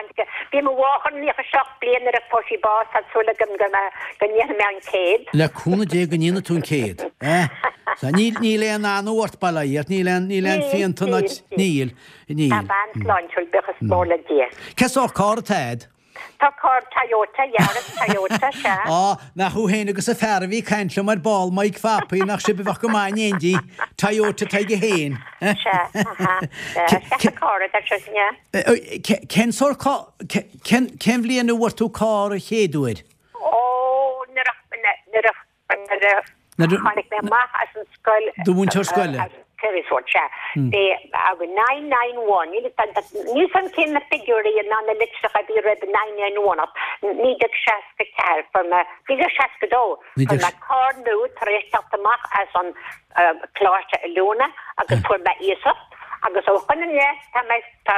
Bhí mo mháthair naocha seacht bliain nuair a fuair sí bás, tá súil agam go go ndéanfaidh mé an céad. Le cúnamh Dé go ndéanfaidh tú an céad. Eh? Sa níl níl aon anó ort bail ó Dhia ort, níl aon níl aon phianta ná níl níl. Tá bean sláintiúil, buíochas mór le Dia. Cén sórt carr atá a'd? Tá carr Toyota, Yaris Toyota, sea. Á, nach thú féin agus an fear a bhí ag caint liom ar ball, Mike Phapaí, nach sibh a bheadh go maith in éindí. Toyota atá aige féin. Sea, aha, sea. Sea, carr atá sé, yeah. Cén sórt carr, cén, cén bhliain a bhfuair tú carr an chéad uair? Ó, nuair a, nuair a, nuair a, Tháinig mé amach as an scoil. Do mhúinteoir scoile? Carysfort, sea. Bhí agus nine nine one, níl 'fhios a'm cén na figiúirí ná na litreacha a bhí roimh nine nine one ach naoi déag seasca ceathair fuair mé, naoi déag seasca dó, fuair mé carr nua tar éis teacht amach as an coláiste oiliúna agus fuair mé iasacht agus ó shoin i leith tá mé, tá,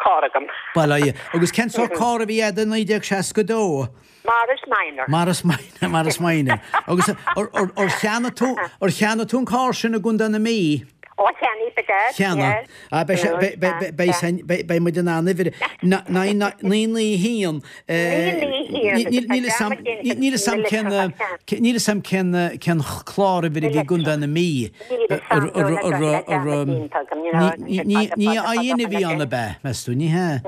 carr agam. Bail ó Dhia. Agus cén sórt carr a bhí a'd i naoi déag seasca dó? Morris Minor. Morris Minor, Morris Minor. Agus ar cheannaigh tú, ar cheannaigh tú an carr sin i gContae na Mí? Ó cheannaigh Cheana. Ah, beidh sé- beidh- beidh- beidh- beidh san- beidh- beidh muid in ann uimhir na- naoi naoi naoi naoi haon, eh, Naoi naoi haon, ní- níl agus fhios tá a'm- dearmad déanta níl fhios a'm na cén, litreacha. eh, níl fhios a'm cén, eh, cén chlár uimhir a bhí i gContae na Mí. Níl fhios a'm, Ar- ar- ar- níl ar- dearmad déanta agam, you know, Ní ní- fada, ní fada, IN a fada, bhí ann fada. ab ea, meas tú, ní hea?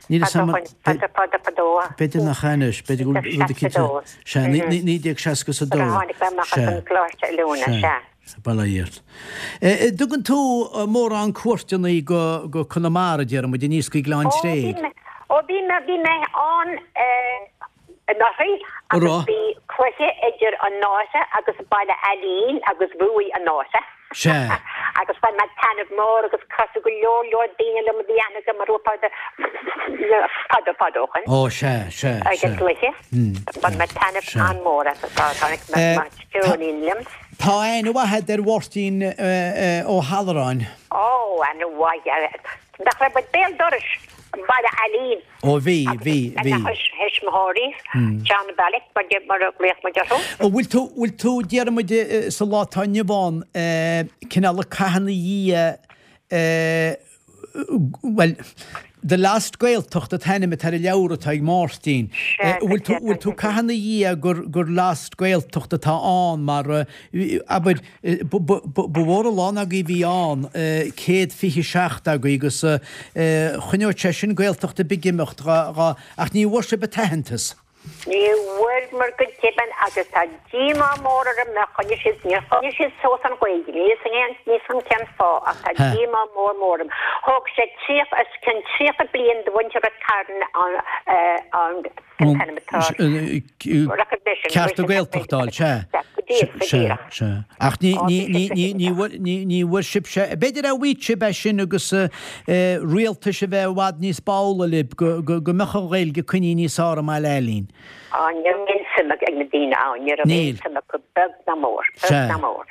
Níl fhios a'm- Fada, fada, fada, fadó. B'fhéidir nach ea anois, b'fhéidir go bhfuil rud eicínt- Seasca dó. Sea, naoi- naoi- naoi déag seasca is a dó. Nuair a tháinig mé amach as an gcoláiste oiliúna, sea. Bail ó Dhia ort. Dtugann tú mórán cuairteanna go go Conamara, déarfaidh muid, aníos go Gleann Ó, bhí Tréig? mé, ó, bhí mé, bhí mé ann anuraidh An agus raibh? bhí cluiche idir an Náise agus Baile Ailín agus bhuaigh an Náise. Sea. Agus bhain mé taitneamh mór agus casadh go leor leor daoine liom a bhí aithne agam mar fada fada fada ó shin. Ó, sea, sea, Ag an sea. gcluiche. Bhain mé taitneamh Sea. an-mhór as tháinig Eh, mo stiúinín liom. Tá aithne mhaith agat ar Mháirtín Ó hAlluráin. Ó, aithne mhaith. Nach raibh muid béal dorais Baile Ailín. Ó bhí, bhí, bhí. Agus a thuismitheoirí, John Bellick, mar mar a ghlaoch muid orthu. Ó bhfuil tú, bhfuil tú, déarfaidh muid sa lá atá inniu ann, cineál ag caitheamh ina dhiaidh, bhuel, The Last Gaeltacht an t-ainm atá ar an leabhar atá ag Máirtín. Bhfuil tú, bhfuil tú ag caitheamh ina dhiaidh gur, gur Last Gaeltacht atá ann mar, abair, ba, ba, ba mhór a lán agaibh a bhí ann, céad fiche seacht agaibh agus choinneodh sé sin Gaeltacht ar bith ag imeacht dhá, dhá, ach ní bhfuair sibh an t-aitheantas. Ní bhfuair go deimhin agus tá díomá mór orm nár choinnigh siad, níor choinnigh siad suas an Ghaeilge, níl fhios agam níl fhios agam cén fáth ach tá díomá mór mór orm. Thóg sé tríocha, os cionn tríocha bliain do mhuintir Ráth Cairn an, an, cén t-ainm atá air? Recognition. Cearta Gaeltachta a fháil, sea. Go díreach, go Sea, díreach. sea. Ach ní, Ó, ní, bhí ní, sé ní, ní bhfuair, ní, ní bhfuair sibhse, b'fhéidir a bhfaigheadh sibh é sin agus rialtais a bheith i bhfad níos báúla libh go, go, go mbeadh an Ghaeilge coinnithe níos fearr i mBaile Ailín. Á, ní raibh aon suim ag na daoine ann, ní raibh aon Níl. suim acu beag ná mór, beag Sea. ná mór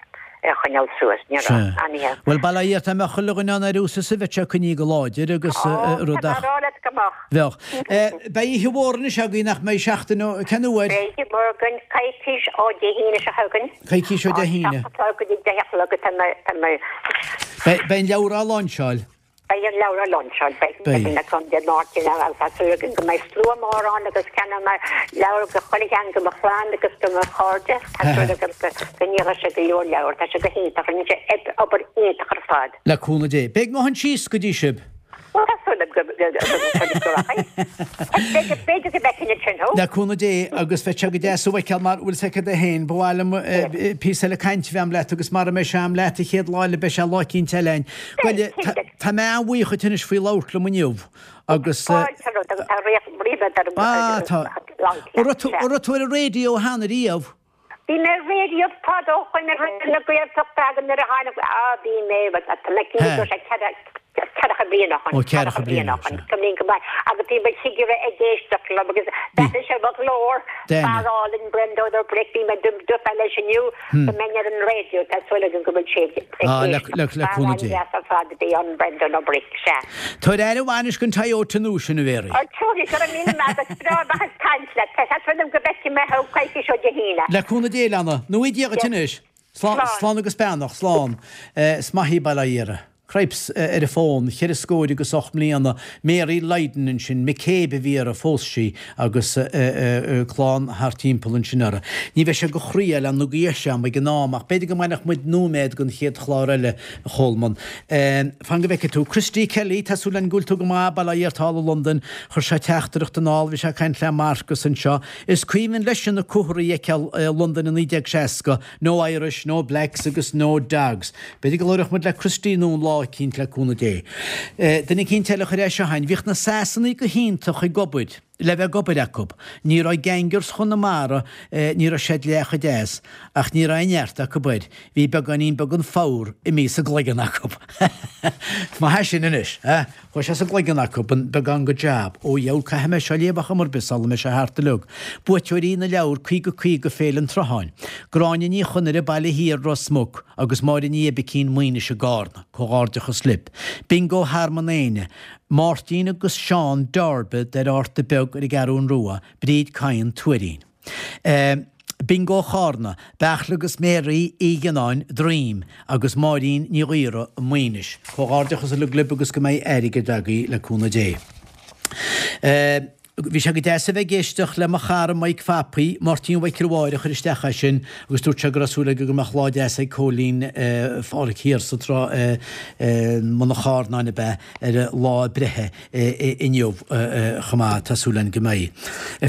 ar choinneáil suas, ní raibh, Sea. aniar. Bhuel, bail ó Dhia ort, dá mbeadh chuile dhuine ann ar ús a bheadh sé coinnithe go láidir agus Ó, rud tá ach. mé á rá leat go mbeadh. Bheadh. Beidh oíche mhór anois agaibh nach mbeidh seachtain ó, cén uair? Beidh oíche mhór againn coicís ó Dé hAoine seo chugainn. Coicís ó Dé hAoine. Seacht a chlog go dtí deich a chlog tá mé, tá mé. Beidh, beidh an leabhar á lainseáil. Beidh an leabhar á lainseáil, beidh Beidh. na Contae Máirtín agus tá súil agam go mbeidh slua mór ann agus ceannóidh mé leabhar do chuile cheann de mo chlann agus de mo chairde. Tá súil agam go go ndíolfaidh sé go leor leabhar, tá sé go hiontach, rinne sé obair iontach ar fad. Le cúnamh Dé. Beidh mo thon síos go dtí sibh. Bhuel, tá súil agam go go go go rachaidh. B'fhéidir b'fhéidir go bhfeicfinn ansin thú. Le cúnamh Dé agus bheadh sé go deas thú a fheiceáil mar bhfuil 's agat féin, ba mhaith liom píosa eile cainte a bheith a'm leat agus mara mbeidh sé a'm leat an chéad lá eile beidh sé lá eicínt eile a'inn. Bhuel, tá mé an-bhuíoch dhuit anois faoi labhairt liom inniu agus. Fáilte romhat agus tá ríméad orm Ah, tá. An raibh tú an raibh tú ar an raidió cheana riamh? Bhí mé ar raidió fadó ó shin ar Raidió na Gaeltachta agus nuair a tháinig, ah, bhí mé, tá mé cinnte go raibh sé ceithre, ceathracha bliain ó shin, Ó, ceathracha ceathracha bliain bliain, ó shin, sea. cuimhním go maith, agus bhí mo chigire ag éisteacht liom agus d'aithin sé mo ghlór, D'aithin. fear álainn Brendan Ó Bric, bhí mé dúfa leis inniu go mbeinn ar an raidió, tá súil agam go bhfuil sé ag Ah, le, éisteacht. le, le Fear cúnamh Dé. an-deas ar fad a bhí ann Brendan Ó Bric, sea. Tabhair aire mhaith anois don Toyota nua sin a Mhéaraí. Ó, tabharfaidh, go raibh míle maith agat, breá maith ag caint leat, tá súil agam go bhfeicfidh mé thú coicís ó Dé hAoine. Le cúnamh Dé, Leanna. Nó í Dia dhuit anois. Slán, Slán. slán agus beannacht, slán. Is maith í bail ó Dhia uirthi. Cripes ar an bhfón, cheithre scór agus ocht mbliana, Mary Lydon ansin, McCabe a bhí uirthi, phós sí agus clann thart timpeall ansin uirthi. Ní bheidh sé go chroí eile nó go dheis agam ag an am ach b'fhéidir go mbainfeadh muid nóiméad don chéad chlár eile, a Cholmáin. Fan go bhfeicfidh tú. Christy Kelly, tá súil againn go bhfuil tú go maith, bail ó Dhia ort thall i Londain, chuir sé teachtaireacht anall, bhí sé ag caint le Marcus anseo. Is cuimhin leisean na comharthaí a fheiceáil i Londain i naoi déag seasca, No Irish, no Blacks agus no Dogs. B'fhéidir go labhródh muid le Christy anonn lá eicínt le cúnamh Dé. Duine eicínt eile a chuir é seo chugainn, bhíodh na Sasanaigh go hiontach ag obair, le bheith ag obair acu. Ní raibh gangers Chonamara, ní raibh siad leath chomh deas, ach ní raibh aon neart acu air. Bhí beagáinín beag den fabhar imithe sa gcloigeann acu. Maith é sin anois, eh? Chuaigh sé sa gcloigeann acu, an beagán go jab. Ó dheabhail, caithfidh mé seo a léamh ar chuma ar bith sula mbeidh sé thart uilig. Buaiteoirí na leabhar caoga caoga Féile an tSrutháin. Gráinne Ní Chonaire, Baile Thiar, Ros Muc, agus Máire Ní Oibicín, Maoinis i gCarna. Comhghairdeachas libh. Bingo Thearmann Éinne, Máirtín agus Seán Darby ar Árta Beag ar an gCeathrú Rua, Bríd Cadhain, Tuairín. Bingo Chárna, Beachla agus Mary Uí Ghinnáin, Droim, agus Máirín Ní Ghaora, Maínis. Comhghairdeachas uilig libh agus go mbeidh airgead agaibh le cúnamh Dé. Bhí sé go deas a bheith ag éisteacht le mo chara Mike Phapaí, Máirtín Mhichael Mháire a chuir isteach é sin agus dúirt sé go raibh súil aige go mbeadh lá deas ag Cóilín Phádraic thiar sa trá i mBun an Charnáin ab ea ar a lá breithe inniu chomh maith, tá súil againn go mbeidh.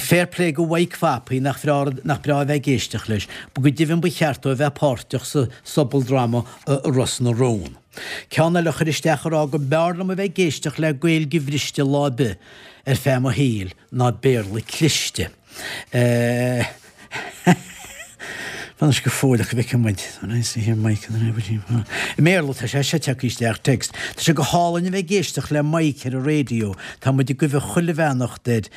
Fair play go Mike Phapaí nach breá nach breá a bheith ag éisteacht leis. Go deimhin ba cheart dó a bheith páirteach sa sobaldráma Ros na Rún. Ceann eile a chuir isteach a rá go mb'fhearr liom a bheith ag éisteacht le Gaeilge bhriste lá ar bith ar feadh mo shaoil ná Béarla cliste. Fan go fóill ach go bhfeicfidh muid. I mBéarla tá sé seo tagtha isteach text. Tá sé go hálainn a bheith ag éisteacht le Mike ar an raidió. Tá muid ag gabháil chuile bheannacht air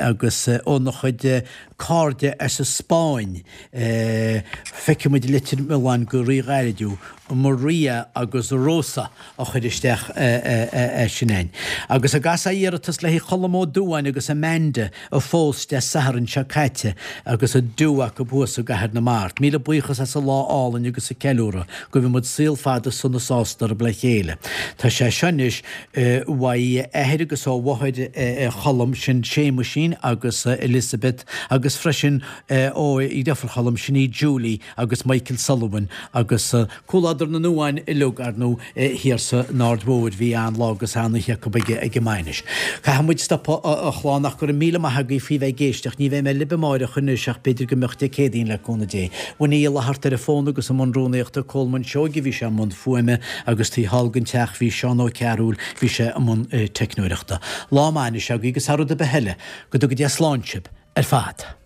agus óna chuid cairde as an Spáinn. Feicfidh muid Leitir Mealláin go ríghairid. Maria agus Rosa a chuir isteach é sin againn. Agus a gcasadh iarratas le haghaidh Cholm Ó Dubháin agus Amanda a phós Dé Sathairn seo caite agus a do acu thuas i gCathair na Mart. Míle buíochas as an lá álainn agus an ceiliúradh. Guímid muid saol fada sona sásta oraibh le chéile. Tá sé seo anois uaidh athair agus ó mháthair Cholm sin Séamuisín agus Elizabeth agus freisin ó dheirfiúr Cholm sin í Julie agus Michael Sullivan agus comhluadar na nDubhán uilig ar ndóigh thiar san Aird Mhóir bhí an-lá agus an-oíche acu ag an mbainis. Caithfidh muid stopadh a chlann ach go raibh míle maith agaibh faoi bheith ag éisteacht, ní bheidh mé libh amáireach anois ach b'fhéidir go mbeadh Dé Céadaoin le cúnamh Dé. Winnie Uí Fhlatharta ar an bhfón agus i mbun rúnaíochta Colman Seoige bhí sé i mbun fuaime agus taobh thall den teach bhí Seán Ó Cearúil bhí sé i mbun teicneoireachta. Lá maith anois agaibh agus thar rud ar bith eile, go dtuga Dia slán sibh ar fad.